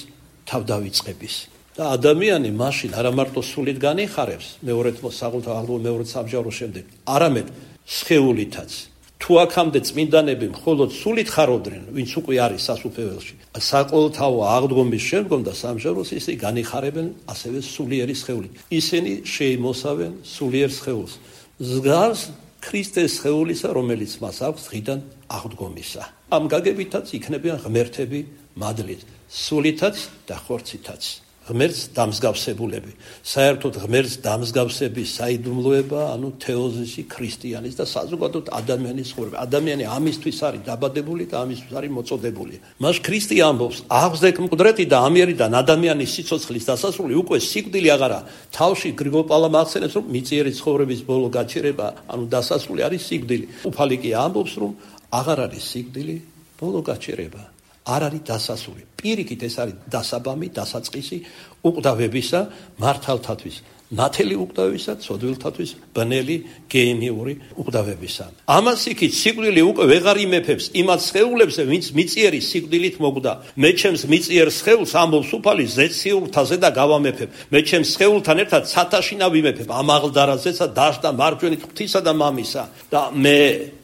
თავდავიწყების. და ადამიანი მაშინ არა მარტო სულით განიხარებს, მეორე საყოველთაო მეორე სამჟავრო შემდეგ, არამედ სხეულითაც. თუ აქამდე წმინდანები მხოლოდ სულით ხარობდნენ, ვინც უკვე არის სასუფეველში, საყოველთაო აღდგომის შემდგომ და სამჟავროს ისე განიხარებენ ასევე სულიერი სხეულით. ისინი შეიმოსავენ სულიერ სხეულს. ზგავს ქრისტეს სხეულისა, რომელიც მას აქვს დღიდან აღდგომისა. ამ გაგებითაც იქნებიან ღმერთები მადლით, სულითაც და ხორცითაც. ღმერთს დამსგავსებულები. საერთოდ ღმერთს დამსგავსების საიდუმლოება, ანუ თეოზისი ქრისტიანის და საზოგადოდ ადამიანის ცხოვრება. ადამიანი ამისთვის არის დაბადებული და ამისთვის არის მოწოდებული. მას ქრისტე ამბობს, აღსდეკ მკვდრეთი და ამიერიდან ადამიანის სიცოცხლის დასასრული უკვე სიკვდილი აღარა. თავში გრიგოლ პალამა ახსენებს, რომ მიწიერი ცხოვრების ბოლო გაჩერება, ანუ დასასრული არის სიკვდილი. უფალი კი ამბობს, რომ აღარ არის სიკვდილი, ბოლო გაჩერება. არ არის დასასრული. პირიქით ეს არის დასაბამი, დასაწყისი უკვდავებისა მართალთათვის. ნათელი უკვდავებისა, ცოდვილთათვის ბნელი გენიურიკვდავებისა. ამას იქით სიკვდილი უკვე ვეღარ იმეფებს იმათ სხეულებს, ვინც მიწიერი სიკვდილით მოგდა. მე ჩემს მიწიერ სხეულს ამბობს უფალი ზეციურთაზე და გავამეფებ. მე ჩემს სხეულთან ერთად ცათაშინა ვიმეფებ. ამაღლდარაზეცა დაშდა მარჯვენით ღვთისა და მამისა და მე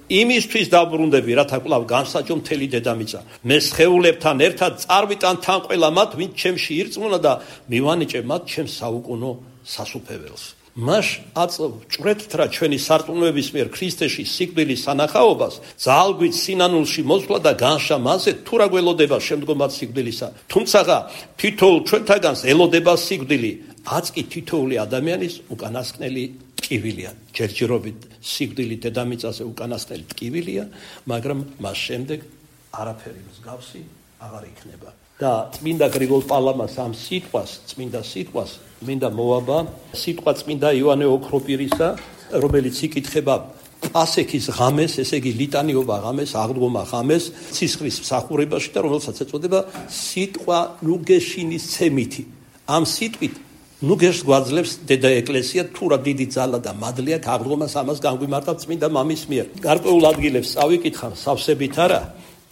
იმისთვის დაბრუნდები, რათა კვლავ განსაჯო მთელი დედამიწა. მე სხეულებთან ერთად წარვიტან თან ყველა მათ, ვინც ჩემში ირწმუნა და მივანიჭე მათ ჩემს საუკუნო სასუფეველს. მას აწვრეთთ რა ჩვენი სარწმუნოების მიერ ქრისტეში სიკვდილის სანახაობას, ძალგვით სინანულში მოსვლა და განშა მასზე თუ რა გველოდება შემდგომად სიკვდილისა. თუმცა თითოეულ ჩვენთაგანს ელოდება სიკვდილი, აც კი თითოეული ადამიანის უკანასკნელი ტკივილია. ჯერჯერობით სიკვდილი დედამიწაზე უკანასკნელი ტკივილია, მაგრამ მას შემდეგ არაფერი მსგავსი აღარ იქნება. და წმინდა გრიგოლ პალამას ამ წმინდა სიტყვას მინდა მოვაბა სიტყვა წმინდა იოანე ოქროპირისა, რომელიც იკითხება პასექის ღამეს, ესე იგი ლიტანიობა ღამეს, აღდგომა ღამეს, ცისხლის მსახურებაში და რომელსაც ეწოდება სიტყვა ნუგეშინის ცემითი. ამ სიტყვით ნუგეშს გვაძლევს დედა ეკლესია, თუ რა დიდი ძალა და მადლი აქვს აღდგომას ამას განგვიმართა წმინდა მამის მიერ. გარკვეულ ადგილებს წავიკითხავ სავსებით არა,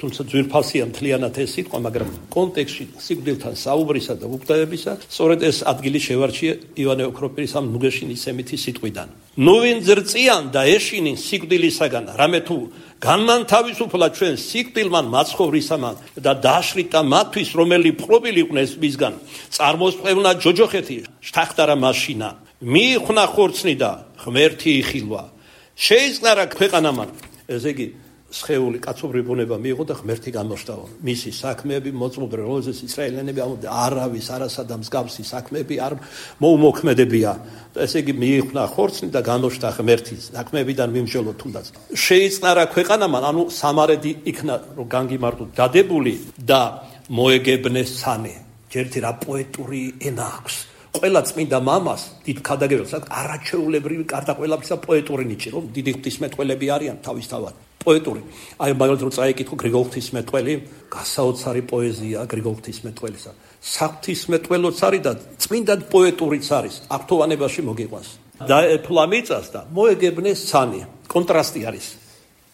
თუმცა ძვირფასია მთლიანად ეს სიტყვა, მაგრამ კონტექსტში სიკვდილთან საუბრისა და უკვდავებისა, სწორედ ეს ადგილი შევარჩია იოანე ოქროპირის ამ ნუგეშინის ცემითი სიტყვიდან. ნუ ვინ ზრწიან და ეშინინ სიკვდილისაგან, რამე თუ განმანთავისუფლა ჩვენ სიკვდილმან მაცხოვრისამან და დაშრიტა მათთვის, რომელი პრობილი იყვნენ მისგან, წარმოსწევნა ჯოჯოხეთი შთახტარა მაშინა, მიიხნა ხორცნი და ღმერთი იხილვა. შეიწყარა ქვეყანამან, ესე იგი სხეული კაცობრივი ბუნება მიიღო და ღმერთი გამოშტავა. მისი საქმეები მოწმობდნენ, რომელზეც ისრაელიანები ამბობდნენ, არავის არასადა მსგავსი საქმეები არ მოუმოქმედებია. ესე იგი მიიხნა ხორცნი და გამოშტა ღმერთი საქმეებიდან მიმსჯელო თუნდაც. შეიწყარა ქვეყანამან, ანუ სამარედი იქნა რომ განგიმარტო დადებული და მოეგებნეს სანი. ჯერთი რა პოეტური ენა აქვს. ყველა წმინდა მამას დიდ ქადაგებელს აქვს არაჩვეულებრივი კარდა ყველაფრისა პოეტური ნიჭი, რომ დიდი ღვთისმეტყველები არიან თავისთავად. პოეტური. აი მაგალითად რომ წაიკითხო გრიგოლ ღვთისმეტყველი, გასაოცარი პოეზია გრიგოლ ღვთისმეტყველისა. საღვთისმეტყველოც არის და წმინდა პოეტურიც არის. აქტოვანებაში მოგიყვანს. დაეფლა მიწას და მოეგებნეს სანი. კონტრასტი არის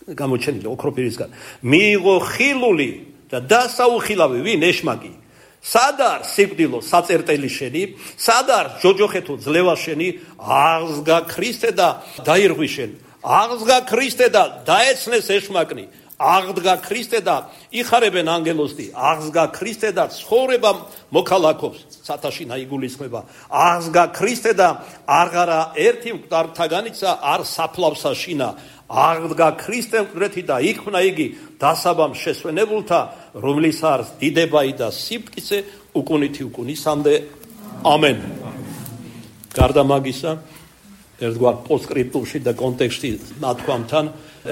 გამოჩენილი ოქროპირისგან. მიიღო ხილული და დასაუხილავი ვინ ეშმაკი. სადარ სიკვდილო საწერტელი შენი, სადარ ჯოჯოხეთო ძლევა შენი, აღსგა ქრისტე და დაირღვი შენ. აღსგა ქრისტე და დაეცნეს ეშმაკნი, აღდგა ქრისტე და იხარებენ ანგელოზი, აღსგა ქრისტე და ცხოვრება მოქალაქობს, სათაშინა იგულისხმება, აღსგა ქრისტე და აღარა ერთი მკვდართაგანიცა არ საფლავსა შინა, აღდგა ქრისტე მკვდრეთი და იქმნა იგი დასაბამ შესვენებულთა, რომლის არის დიდებაი და სიფტკიცე უკუნითი უკუნისამდე. ამენ. გარდა მაგისა ერთგვარ პოსტსკრიპტუმში და კონტექსტში ნათქვამთან,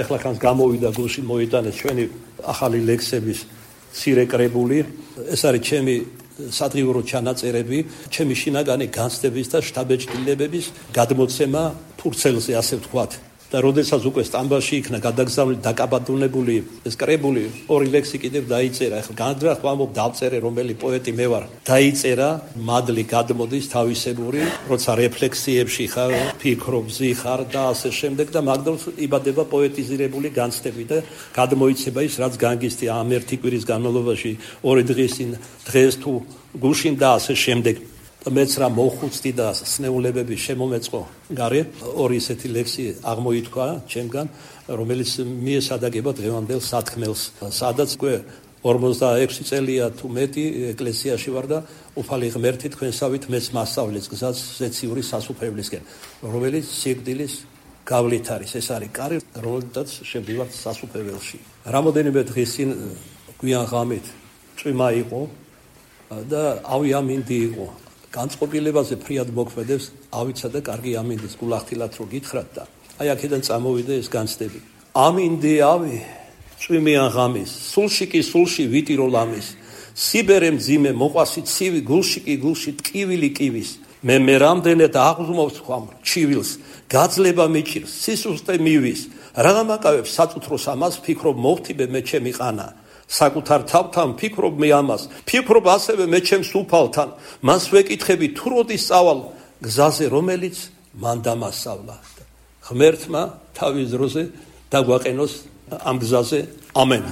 ეხლა ხანს გამოვიდა გულში მოიტანეს ჩვენი ახალი ლექსების მცირე კრებული. ეს არის ჩემი სადღიურო ჩანაწერები, ჩემი შინაგანი განცდების და შთაბეჭდილებების გადმოცემა ფურცელზე, ასე ვთქვათ. და როდესაც უკვე სტამბაში იქნა გადაგზავნილი დაკაბადუნებული ეს კრებული, ორი ლექსი კიდევ დაიწერა. ეხლა განძრახ ვამბობ დავწერე რომელი პოეტი მე ვარ. დაიწერა, მადლი გადმოდის თავისებური, როცა რეფლექსიებში ხარ, ფიქრობზი ხარ და ასე შემდეგ და მაგდროს იბადება პოეტიზირებული განცდები და გადმოიცება ის, რაც განგისტი ამ ერთი კვირის განმავლობაში, ორი დღეს თუ გუშინ და ასე შემდეგ. მეც რა მოხუცდი და სნეულებები შემომეწყო გარე, ორი ესეთი ლექსი აღმოითქვა ჩემგან, რომელიც მიესადაგება დღევანდელ სათქმელს, სადაც უკვე 46 წელია თუ მეტი ეკლესიაში ვარ და უფალი ღმერთი თქვენსავით მეც მასწავლეს გზას ზეციური სასუფევლისკენ, რომელიც სიკვდილის გავლით არის. ეს არის კარი, რომელთაც შევდივართ სასუფეველში. რამოდენიმე დღის წინ გვიან ღამით წვიმა იყო და ავი ამინდი იყო. განწყობილებაზე ფრიად მოქმედებს ავიცა და კარგი ამინდის გულახდილად რო გითხრათ და აი აქედან წამოვიდა ეს განცდები. ამინდი ავი წვიმიან ღამის, სულში კი სულში ვიტირო ლამის, სიბერე მძიმე მოყვასი ცივი, გულში კი გულში ტკივილი კივის, მე რამდენად აღზმავს ხომ ჩივილს, გაძლება მიჭირს, სისუსტე მივის, რა გამაკავებს საწუთროს ამას, ფიქრობ მოვთიბე მე ჩემი ყანა, საკუთარ თავთან ფიქრობ მე ამას, ფიქრობ ასევე მე ჩემს უფალთან, მას ვეკითხები თუ როდის წავალ გზაზე, რომელიც მან დამასწავლა. ღმერთმა თავის დროზე დაგვაყენოს ამ გზაზე. ამენ.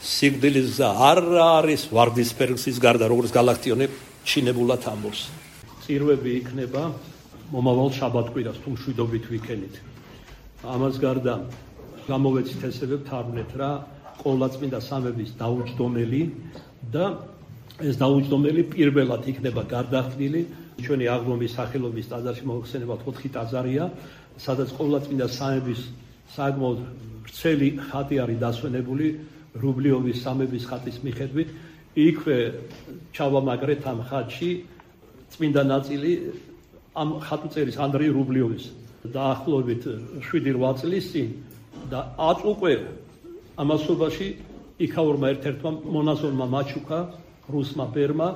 სიკვდილის გზა არ არის ვარდისფერ გზის გარდა, როგორც გალაქტიონებ ჩინებულად ამბობს. წირვები იქნება მომავალ შაბათ-კვირას თუ მშვიდობით ვიქენით. ამას გარდა გამოვეცით ესევე ვთარგმნეთ რა ყოვლადწმინდა სამების დაუჯდომელი და ეს დაუჯდომელი პირველად იქნება გარდახვილი ჩვენი აღდგომის სახელობის ტაძარში მოხსენებათ 4 ტაძარია, სადაც ყოვლადწმინდა სამების საკმაოდ ვრცელი ხატი არის დასვენებული რუბლიოვის სამების ხატის მიხედვით. იქვე ჩავამაგრეთ ამ ხატში წმინდა ნაწილი ამ ხატუწერის ანდრეი რუბლიოვის დაახლოებით 7-8 წლის წინ და აწ უკვე ამასობაში იქაურმა ერთ-ერთმა მონაზონმა მაჩუკა რუსმა ბერმა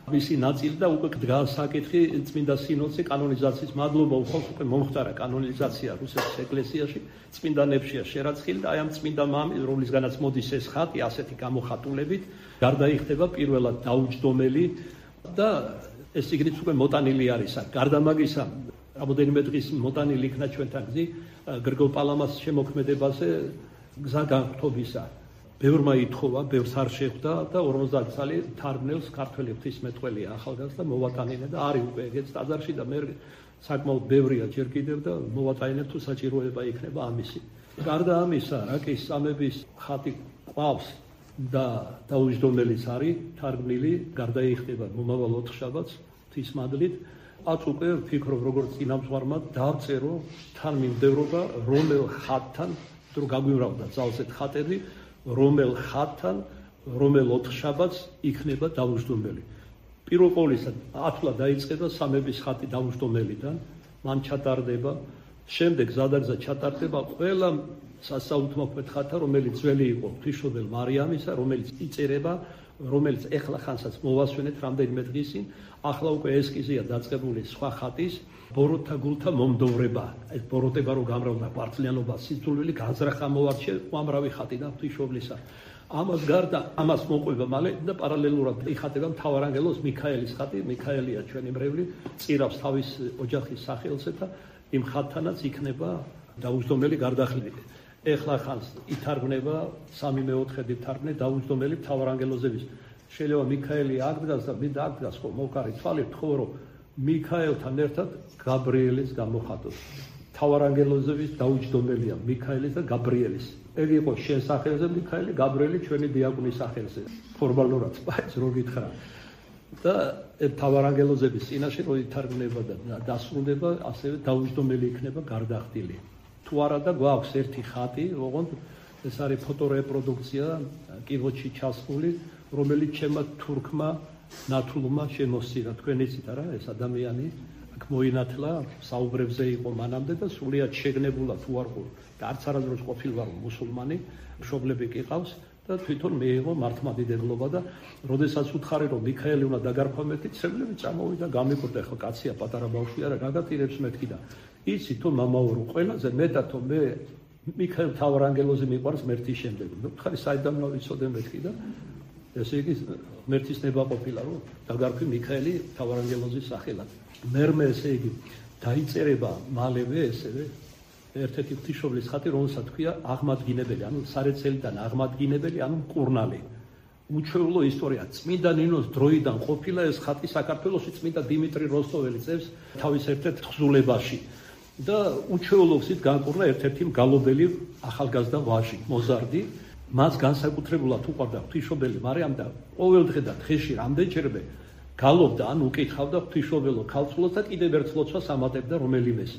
მისი ნაწილი და უკვე დგას საკითხი წმინდა სინოდზე კანონიზაციის მადლობა უხალს უკვე მომხდარა კანონიზაცია რუსეთის ეკლესიაში წმინდანებშია შერაცხილი და აი ამ წმინდა მამის რომლისგანაც მოდის ეს ხატი ასეთი გამოხატულებით გარდაიხდება პირველად დაუჯდომელი და ეს სიგნით უკვე მოტანილი არის. გარდა მაგისა რამოდენიმე დღის მოტანილი იქნა ჩვენთან გზი გრიგოლ პალამას შემოქმედებაზე გზა განხთობისა. ბევრმა ითხოვა, ბევრს არ შეხვდა და 50 წელი თარგმნელს ქართველი ღვთისმეტყველია ახალგაზრდა მოვატანინა და არის უკვე ეგეც ტაძარში და მე საკმაოდ ბევრია ჯერ კიდევ და მოვატანინებ თუ საჭიროება იქნება ამისი. გარდა ამისა, რაკის სამების ხატი ყავს და დაუჯდომელიც არის თარგმნილი, გარდაიხდება მომავალ 4 შაბათს ღვთისმადლით. აწ უკვე ვფიქრობ როგორც წინამძღვარმა დავწერო თან მიმდევრობა რომელ ხატთან თუ გაგვიმრავდა ძალზედ ხატები რომელ ხატთან რომელ 4 შაბათს იქნება დაუჯდომელი. პირველ ყოვლისა ათვლა დაიწყება სამების ხატი დაუჯდომელიდან, მან ჩატარდება, შემდეგ ზადაგზა ჩატარდება ყველა სასაუთმოქმედ ხატა, რომელიც ძველი იყო ღვთისმშობელ მარიამისა, რომელიც იწერება, რომელიც ეხლა ხანსაც მოვასვენეთ რამდენიმე დღის წინ, ახლა უკვე ესკიზია დაწყებული სხვა ხატის ბოროტთა გულთა მომდოვრება. ეს ბოროტება რო გამრავლდა პარტლიანობა, სიძულვილი განზრახა მოვარჩე უამრავი ხატი და ღვთისმშობლისა. ამას გარდა ამას მოყვება მალე და პარალელურად იხატება მთავარანგელოს მიქაელის ხატი, მიქაელია ჩვენი მრევლი, წირავს თავის ოჯახის სახელზე და იმ ხატთანაც იქნება დაუჯდომელი გარდახვილი. ეხლა ხანს ითარგმნება 3/4 თარგმნე დაუჯდომელი მთავარანგელოზების. შეიძლება მიქაელი აღდგას და მინდა აღდგას ხო მოვკარი თვალით ხო რომ მიქაელთან ერთად გაბრიელის გამოხატოს. მთავარანგელოზების დაუჯდომელია მიქაელის და გაბრიელის. ეგ იყო შენ სახელზე მიქაელი, გაბრიელი ჩვენი დიაკონის სახელზე. ფორმალურად სპაიც რო გითხრა. და მთავარანგელოზების წინაშე რო ითარგმნება და დასრულდება, ასევე დაუჯდომელი იქნება გარდახვილი. თუ არა და გვაქვს ერთი ხატი, ოღონდ ეს არის ფოტორეპროდუქცია კიბოჩი ჩასული, რომელიც ჩემმა თურქმა ნათლუმა შემოსცირა. თქვენ იცით არა, ეს ადამიანი აქ მოინათლა, საუბრებზე იყო მანამდე და სულიად შეგნებულად უარყო და არც არასდროს ყოფილ ვარ მუსულმანი, მშობლები კი ყავს და თვითონ მეიღო მართლმადიდებლობა და როდესაც უთხარი რომ მიქაელი უნდა დაგარქვა მეთქი, ცევლები წამოვიდა, გამიკვირდა, ხო კაცია პატარა ბავშვი არა, გადატირებს მეთქი და იცი თუ მამაურო ყველაზე მეტად თუ მე მიქაელ მთავარანგელოზი მიყვარს მერთის შემდეგ. უთხარი საიდან მოვიცოდე მეთქი და ესე იგი ღმერთის ნება ყოფილა რომ დაგარქვი მიქაელი მთავარანგელოზის სახელად. მერმე ესე იგი დაიწერება მალევე ესევე ერთ-ერთი ღვთისმშობლის ხატი, რომელსაც თქვია აღმადგინებელი, ანუ სარეცელიდან აღმადგინებელი, ანუ მკურნალი. უჩვეულო ისტორია. წმინდა ნინოს დროიდან ყოფილა ეს ხატი საქართველოში წმინდა დიმიტრი როსტოველი წევს თავის ერთ-ერთ თხზულებაში. და უჩვეულო გზით განკურნა ერთ-ერთი მგალობელი ახალგაზრდა ვაჟი, მოზარდი. მას განსაკუთრებულად უყვარდა ღვთისმშობელი მარიამ და ყოველდღე და დღეში რამდენჯერმე გალობდა, ან უკითხავდა ღვთისმშობელო ქალწულოს და კიდევ ერთ ლოცვას ამატებდა რომელიმეს.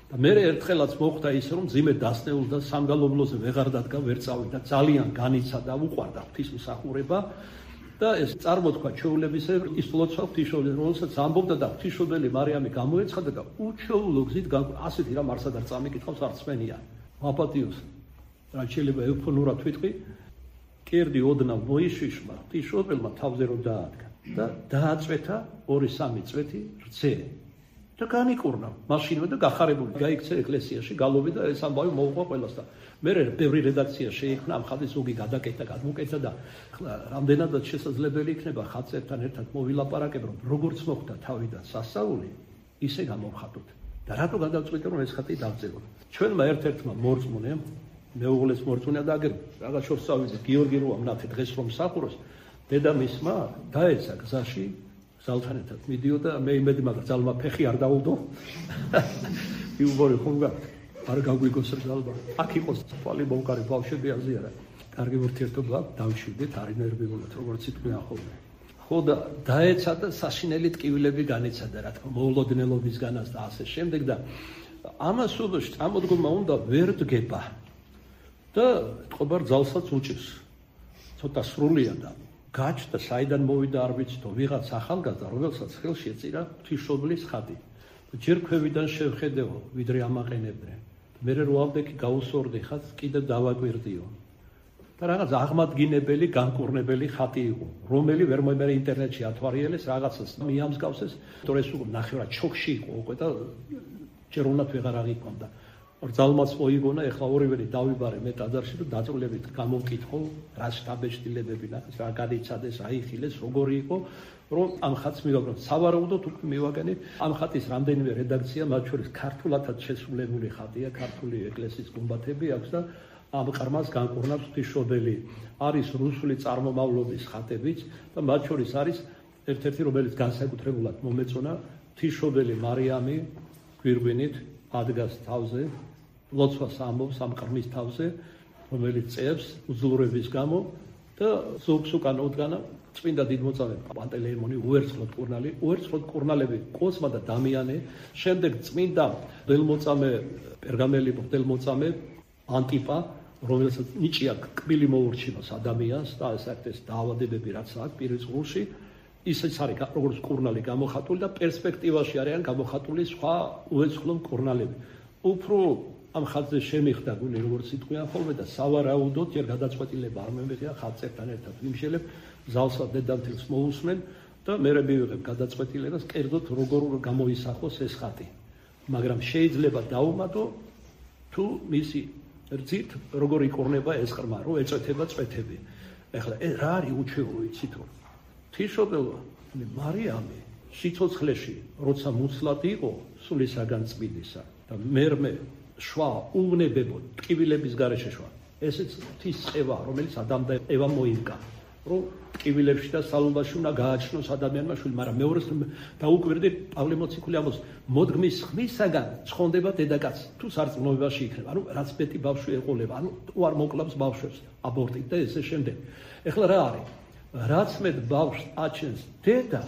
და მე ერთხელაც მოხდა ისე რომ ძიმე დასნეულდა და სამგალობლოზე ვეღარ დადგა, ვერ წავიდა, ძალიან განიცა და უყვარდა ღვთისმსახურება და ეს წარმოთქვა ჩვეულებისებრ ის ლოცვა ღვთისმშობელი, რომელსაც ამბობდა და ღვთისმშობელი მარიამი გამოეცხადა და უჩვეულო გზით ასეთი რამ არსად არ წამიკითხავს არც მენია. მაპატიოს რაც შეიძლება ეუფონურად ვიტყვი, კერდი ოდნავ მოიშიშმა ღვთისმშობელმა თავზე რომ დაადგა და დააწვეთა 2-3 წვეთი რძე. და განიკურნა მაშინვე და გახარებული გაიქცა ეკლესიაში გალობი და ეს ამბავი მოუყვა ყველას და მე ბევრი რედაქცია შეიქმნა ამ ხალხის ზოგი გადაკეთა გადმოკეთა და რამდენადაც შესაძლებელი იქნება ხალხთან ერთად მოვილაპარაკებ რომ როგორც მოხდა თავიდან სასწაული ისე გამოვხატოთ და რატო გადავწყვიტე რომ ეს ხატი დავწეროთ ჩვენმა ერთ-ერთმა მორწმუნემ მეუღლეს მორწმუნე და აგერ რაღაც შორს წავიდე გიორგი როა მნათე დღეს რომ სახუროს დედამისმა დაეცა გზაში ზალთან ერთად მიდიოდა მე იმედი მაგრამ ზალმა ფეხი არ დაუდო იუბორი ხომ გაქვს არ გაგვიგოს ზალმა აქ იყოს თვალი მომკარი ბავშვები აზიარა კარგი ურთიერთობა დავშვიდეთ არინერვებულად როგორც იტყვიან ხოლმე ხო და დაეცა და საშინელი ტკივილები განიცადა რა თქმა მოულოდნელობისგანაც და ასე შემდეგ და ამას უდოში წამოდგომა უნდა ვერ დგება და თყობარ ძალსაც უჭირს ცოტა სრულია და გაჩნდა საიდან მოვიდა არ ვიცი თუ ვიღაც ახალგაზრდა რომელსაც ხელში ეწირა ღვთისმშობლის ხატი ჯერ ქვევიდან შევხედეო ვიდრე ამაყენებდნენ მე რო ავდექი გაუსორდი ხატს კიდევ დავაკვირდიო და რაღაც აღმადგინებელი განკურნებელი ხატი იყო რომელი ვერ მომერე ინტერნეტში ათვარიელეს რაღაცას მიამსგავსეს თორე ეს ნახევრად ჩოქში იყო უკვე და ჯერ უნდათ ვეღარ აღიქვამდა ძალმაც მოიგონა ეხლა ორივე დავიბარე მე ტაძარში და დაწვრილებით გამოვკითხო რა შტაბეშტილებები რა გადიცადეს რა იხილეს როგორი იყო რომ ამ ხატს მივაგნოთ სავარაუდოდ უკვე მივაგენი ამ ხატის რამდენიმე რედაქცია მათ შორის ქართულადაც შესრულებული ხატია ქართული ეკლესიის გუმბათები აქვს და ამ ყრმას განკურნავს ღვთისმშობელი არის რუსული წარმომავლობის ხატებიც და მათ შორის არის ერთ-ერთი რომელიც განსაკუთრებულად მომეწონა ღვთისმშობელი მარიამი გვირგვინით ადგას თავზე ლოცვას ამბობს ამ ყრმის თავზე რომელიც წევს უძლურების გამო და ზოგს უკან ოდგანა წმინდა დიდმოწამე პანტელეიმონი უერცხლოდ კურნალები კოსმა და დამიანე შემდეგ წმინდა მღვდელმოწამე პერგამელი მღვდელმოწამე ანტიპა რომელსაც ნიჭია კბილი მოურჩინოს ადამიანს და ეს აქტეს დაავადებები რაც აქვს პირის ღრუში ისიც არის როგორც კურნალი გამოხატული და პერსპექტივაში არიან გამოხატული სხვა უეცხლო კურნალები უფრო ამ ხატზე შემიხდა გული როგორც იტყვიან ხოლმე და სავარაუდოდ ჯერ გადაწყვეტილება არ მომეღია ხალხთან ერთად ვიმშელებ ზალსა დედამთილს მოусმენ და მე მივიღებ გადაწყვეტილებას კერძოდ როგორ გამოისახოს ეს ხატი მაგრამ შეიძლება დაუმატო თუ მისი რძით როგორ იკურნება ეს ყრმა რომ ეწვეთება წვეთები ეხლა რა არის უჩვეულო იცით რომ ღვთისმშობელო მარიამი სიცოცხლეში როცა მუცლად იყო სულისაგან წმინდისა და მერმე შვა უვნებებო ტკივილების გარეშე შვა ესეც ღვთის წევა რომელიც ადამიანს და ევამ მოიგა რომ ტკივილებში და სალობაში უნდა გააჩნოს ადამიანმა შვილი მაგრამ მეორეს დაუკვირდი პავლე მოციქული ამბობს მოდგმის ხმისაგან ცხონდება დედაკაცი თუ სარწმუნოებაში იქნება ანუ რაც მეტი ბავშვი ეყოლება ანუ უარ მოკლავს ბავშვებს აბორტით და ესე შემდეგ ეხლა რა არის რაც მეტ ბავშვს აჩენს დედა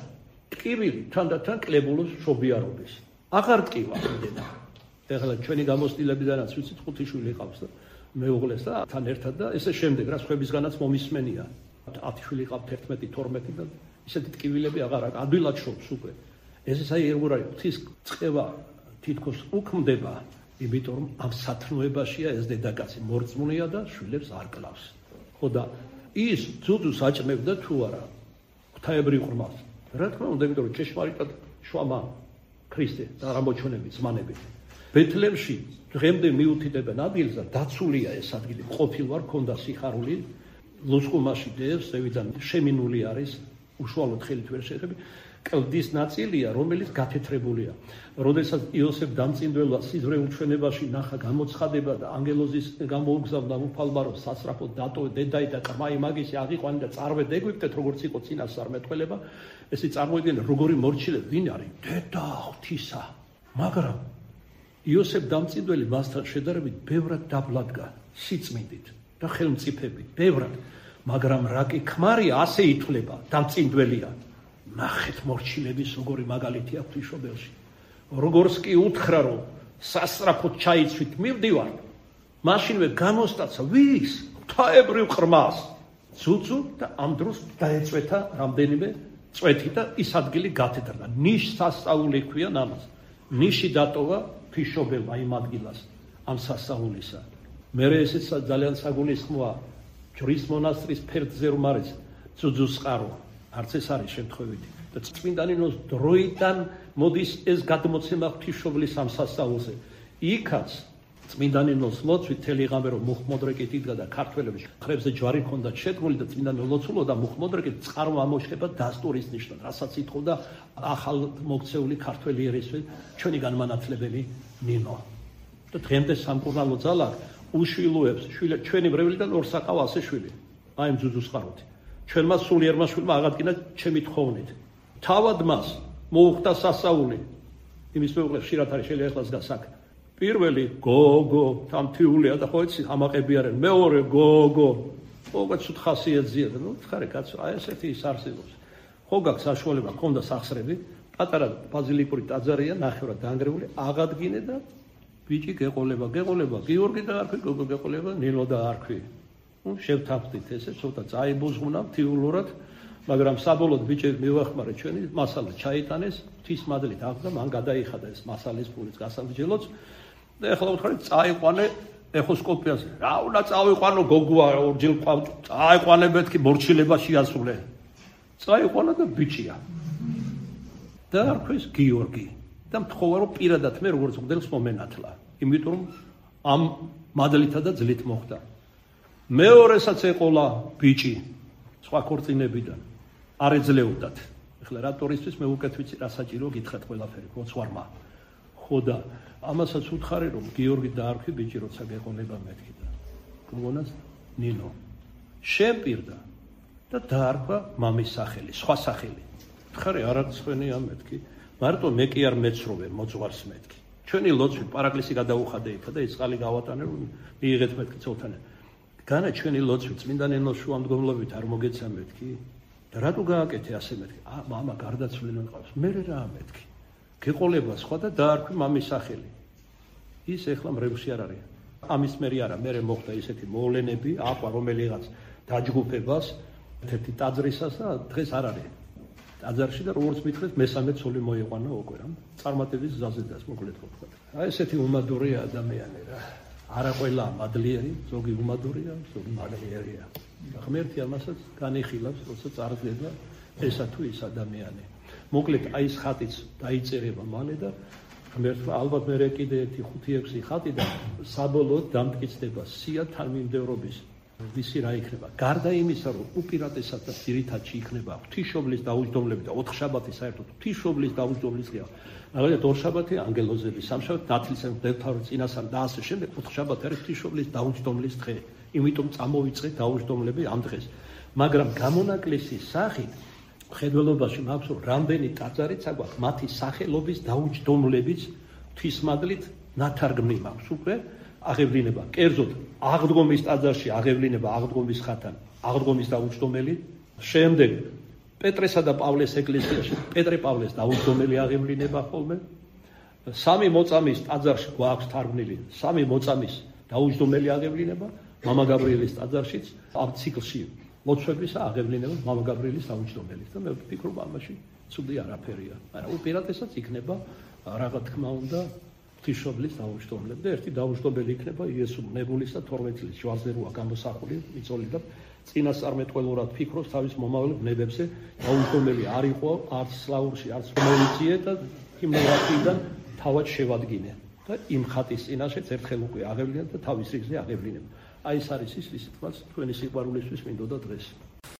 ტკივილი თანდათან კლებულობს შობიარობის აღარ ტკივა დედა ეხლა ჩვენი გამოცდილებიდანაც ვიცით 5 შვილი ყავს და მეუღლეს და თან ერთად და ესე შემდეგ რა სხვებისგანაც მომისმენია 10 შვილი ყავთ 11 12 და ისეთი ტკივილები აღარ აქვს ადვილად შობს უკვე ეს აი როგორ არის ღვთის წევა თითქოს უქმდება იმიტომ რომ ამ სათნოებაშია ეს დედაკაცი მორწმუნეა და შვილებს არ კლავს ხო და ის ძუძუს აჭმევდა თუ არა ღვთაებრივ ყრმას რა თქმა უნდა იმიტომ რომ ჭეშმარიტად შვამა ქრისტე და რამოჩვენებით ზმანებით ბეთლემში დღემდე მიუთითებენ ადგილს და დაცულია ეს ადგილი ყოფილ ვარ ქონდა სიხარული ლუსკუმაში დევს ზევიდან შემინული არის უშუალოდ ხელით ვერ შეეხები კლდის ნაწილია რომელიც გათეთრებულია როდესაც იოსებ დამწინდველმა სიზმრე უჩვენებაში ნახა გამოცხადება და ანგელოზის გამოუგზავნა უფალბარო სასწრაფო დატო დედაი და კმაი მაგისი აღიყვანი და წარვედ ეგვიპტეთ როგორც იყო წინასწარმეტყველება ესე წარმოიდგინე როგორი მორჩილე ვინ არის დედა ღვთისა მაგრამ იოსებ დამწინდველი მასთან შედარებით ბევრად დაბლადგა სიწმინდით და ხელმწიფებით ბევრად მაგრამ რა კი ქმარია ასე ითვლება დამწინდველია ნახეთ მორჩილების როგორი მაგალითი აქვს ღვთისმშობელში როგორც კი უთხრა რომ სასწრაფოდ ჩაიცვით მივდივარ მაშინვე გამოსტაცა ვის ღვთაებრივ ყრმას ძუძუ და ამ დროს დაეწვეთა რამდენიმე წვეთი და ის ადგილი გათეთრდა ნიშს სასწაული ქვია ამას ნიში დატოვა ღვთისმშობელმა იმ ადგილას ამ სასწაულისა მე ესეც ძალიან საგულისხმოა ჯვრის მონასტრის ფერდზე რომ არის ძუძუს წყარო არც ეს არის შემთხვევითი და წმინდანინოს დროიდან მოდის ეს გადმოცემა ღვთისმშობლის ამ სასწაულზე. იქაც წმინდანინოს ლოცვით თელი ღამე რომ მუხმოდრეკით იდგა და ქართველების ხრებზე ჯვარი ჰქონდა შედგმული და წმინდანი ლოცულობდა მუხმოდრეკით წყარო ამოშება დასტურის ნიშნად, რასაც ითხოვდა ახალ მოქცეული ქართველი ერისვე ჩვენი განმანათლებელი ნინო. და დღემდე სამკურნალო ძალა უშვილოებს ჩვენი მრევლიდან ორ საკავ ასე შვილი. აი ძუძუს ხაროთი. ჩვენმა სულიერმა შვილმა აღადგინა ჩემი თხოვნით. თავად მას მოუხდა სასწაული. იმის მეუღლე ხშირად არის შეიძლება ახლაც გასაკ. პირველი გოგო თამთიულია და ხო იცი ამაყები არიან. მეორე გოგო. ოღონდ ცუდ ხასიათზია და ნუ ხარე კაცო, აი ესეთი ის არსებობს. ხო გაქვს საშუალება ქონდა სახსრები, პატარა ბაზილიკური ტაძარია ნახევრად დაანგრეული, აღადგინე და ბიჭი გეყოლება, გიორგი და არქვი, გოგო გეყოლება, ნინო და არქვი. ნუ შევთანხმდით ესე, ცოტა წაიბოზღუნა მთიულურად, მაგრამ საბოლოოდ ბიჭები მივახმარე ჩვენი მასალა ჩაიტანეს, ღვთის მადლით აღდა, მან გადაიხადა ეს მასალის ფულიც გასამრჯელოც და ეხლა ვთქვით წაიყვანე ეხოსკოპიაზე. რა უნდა წავიყვანო გოგოა ორჯერ ყავ, წაიყვანე მეთქი მორჩილებაში ასულე. წაიყვანა და ბიჭია. და არქვის გიორგი. და მთხოვა რომ პირადად მე როგორც მგდელს მომენათლა. იმიტომ რომ ამ მადლითა და ძლით მოხდა. მეორესაც ეყოლა ბიჭი სხვა ქორწინებიდან. არ ეძლეოდათ. ეხლა რატორისთვის მე უკეთ ვიცი რა საჭირო გითხრათ ყველაფერი, ხოცვარმა. ხო და ამასაც უთხარი რომ გიორგი და არქვი ბიჭი როცა გეყოლება მეთქი და გოგონას ნინო შეპირდა და დაარქვა მამის სახელი, სხვა სახელი. ხარი არაცხვენია მეთქი. მარტო მე კი არ მეცროვე მოძღვარს მეთქი. ჩვენი ლოცვი პარაკლისი გადაუხადე იქა და ეს წყალი გავატანე რომ მიიღეთ მეთქი ცოლთანე. განა ჩვენი ლოცვი წმინდანენოს შუამდგომლობით არ მოგეცა მეთქი. და რატო გააკეთე ასე მეთქი? მამა გარდაცვლილი მყავს. მე რა მეთქი? გეყოლება სხვა და დაარქვი მამის სახელი. ის ეხლა მრევლში არ არის. ამის მერი არა, მე მოხდა ისეთი მოვლენები, აყვა რომელიღაც დაჯგუფებას, ერთი ტაძრისას და დღეს არ არის. ტაძარში და როგორც მითხრეთ, მესამე ცოლი მოიყვანა უკვე რა. წარმატების გზაზე დას მოკლედ ვთქვა. აი ესეთი უმადურია ადამიანი რა. არა ყველა მადლიერი, ზოგი უმადურია, ზოგი მადლიერია. ღმერთი ამასაც განიხილავს, როცა წარდგება ესა თუ ის ადამიანი. მოკლედ აი ეს ხატიც დაიწერება მალე და ღმერთმა ალბათ მე კიდე ერთი 5-6 ხატი და საბოლოოდ დამტკიცდება სია თანმიმდევრობის ვისი რა იქნება. გარდა იმისა, რომ უპირატესად და ძირითადში იქნება ღვთისმშობლის დაუჯდომლები და ოთხშაბათი საერთოდ ღვთისმშობლის დაუჯდომლის დღეა. მაგალითად ორშაბათი ანგელოზების, სამშაბათი ნათლისმცემლის მღვდელმთავრის წინასწარ და ასე შემდეგ, ოთხშაბათი არის ღვთისმშობლის დაუჯდომლის დღე. იმიტომ წამოვიწყეთ დაუჯდომლები ამ დღეს. მაგრამ გამონაკლისის სახით მხედველობაში მაქვს რომ რამდენი ტაძარიც აგვაქვს მათი სახელობის დაუჯდომლებიც ღვთისმადლით ნათარგმნი მაქვს უკვე აღევლინება. კერძოდ აღდგომის ტაძარში აღევლინება აღდგომის ხათან, აღდგომის დაუჯდომელი, შემდეგ პეტრესა და პავლეს ეკლესიაში პეტრე პავლეს დაუჯდომელი აღევლინება ხოლმე. სამი მოწამის ტაძარში გვაქვს თარგმნილი, სამი მოწამის დაუჯდომელი აღევლინება, მამა გაბრიელის ტაძარშიც ამ ციკლში ლოცვების აღევლინება მამა გაბრიელის დაუჯდომელით და მე ვფიქრობ ამაში ცუდი არაფერია. მაგრამ უპირატესად იქნება რაღა თქმა უნდა ღვთისმშობლის დაუჯდომლები და ერთი დაუჯდომელი იქნება იესო ნებულისა 12 წლის ჯვარზე როა გამოსახული მიწოლი და წინასწარმეტყველურად ფიქრობს თავის მომავალ ბნებებზე. დაუჯდომელი არ იყო არც სლავურში არც მომიციე და იმნოვატიდან თავად შევადგინე და იმ ხატის წინაშეც ერთხელ უკვე აღევლინა და თავის რიგზე აღევლინება. აი ეს არის ის, ვისაც თქვენი სიყვარულისთვის მინდოდა დღეს.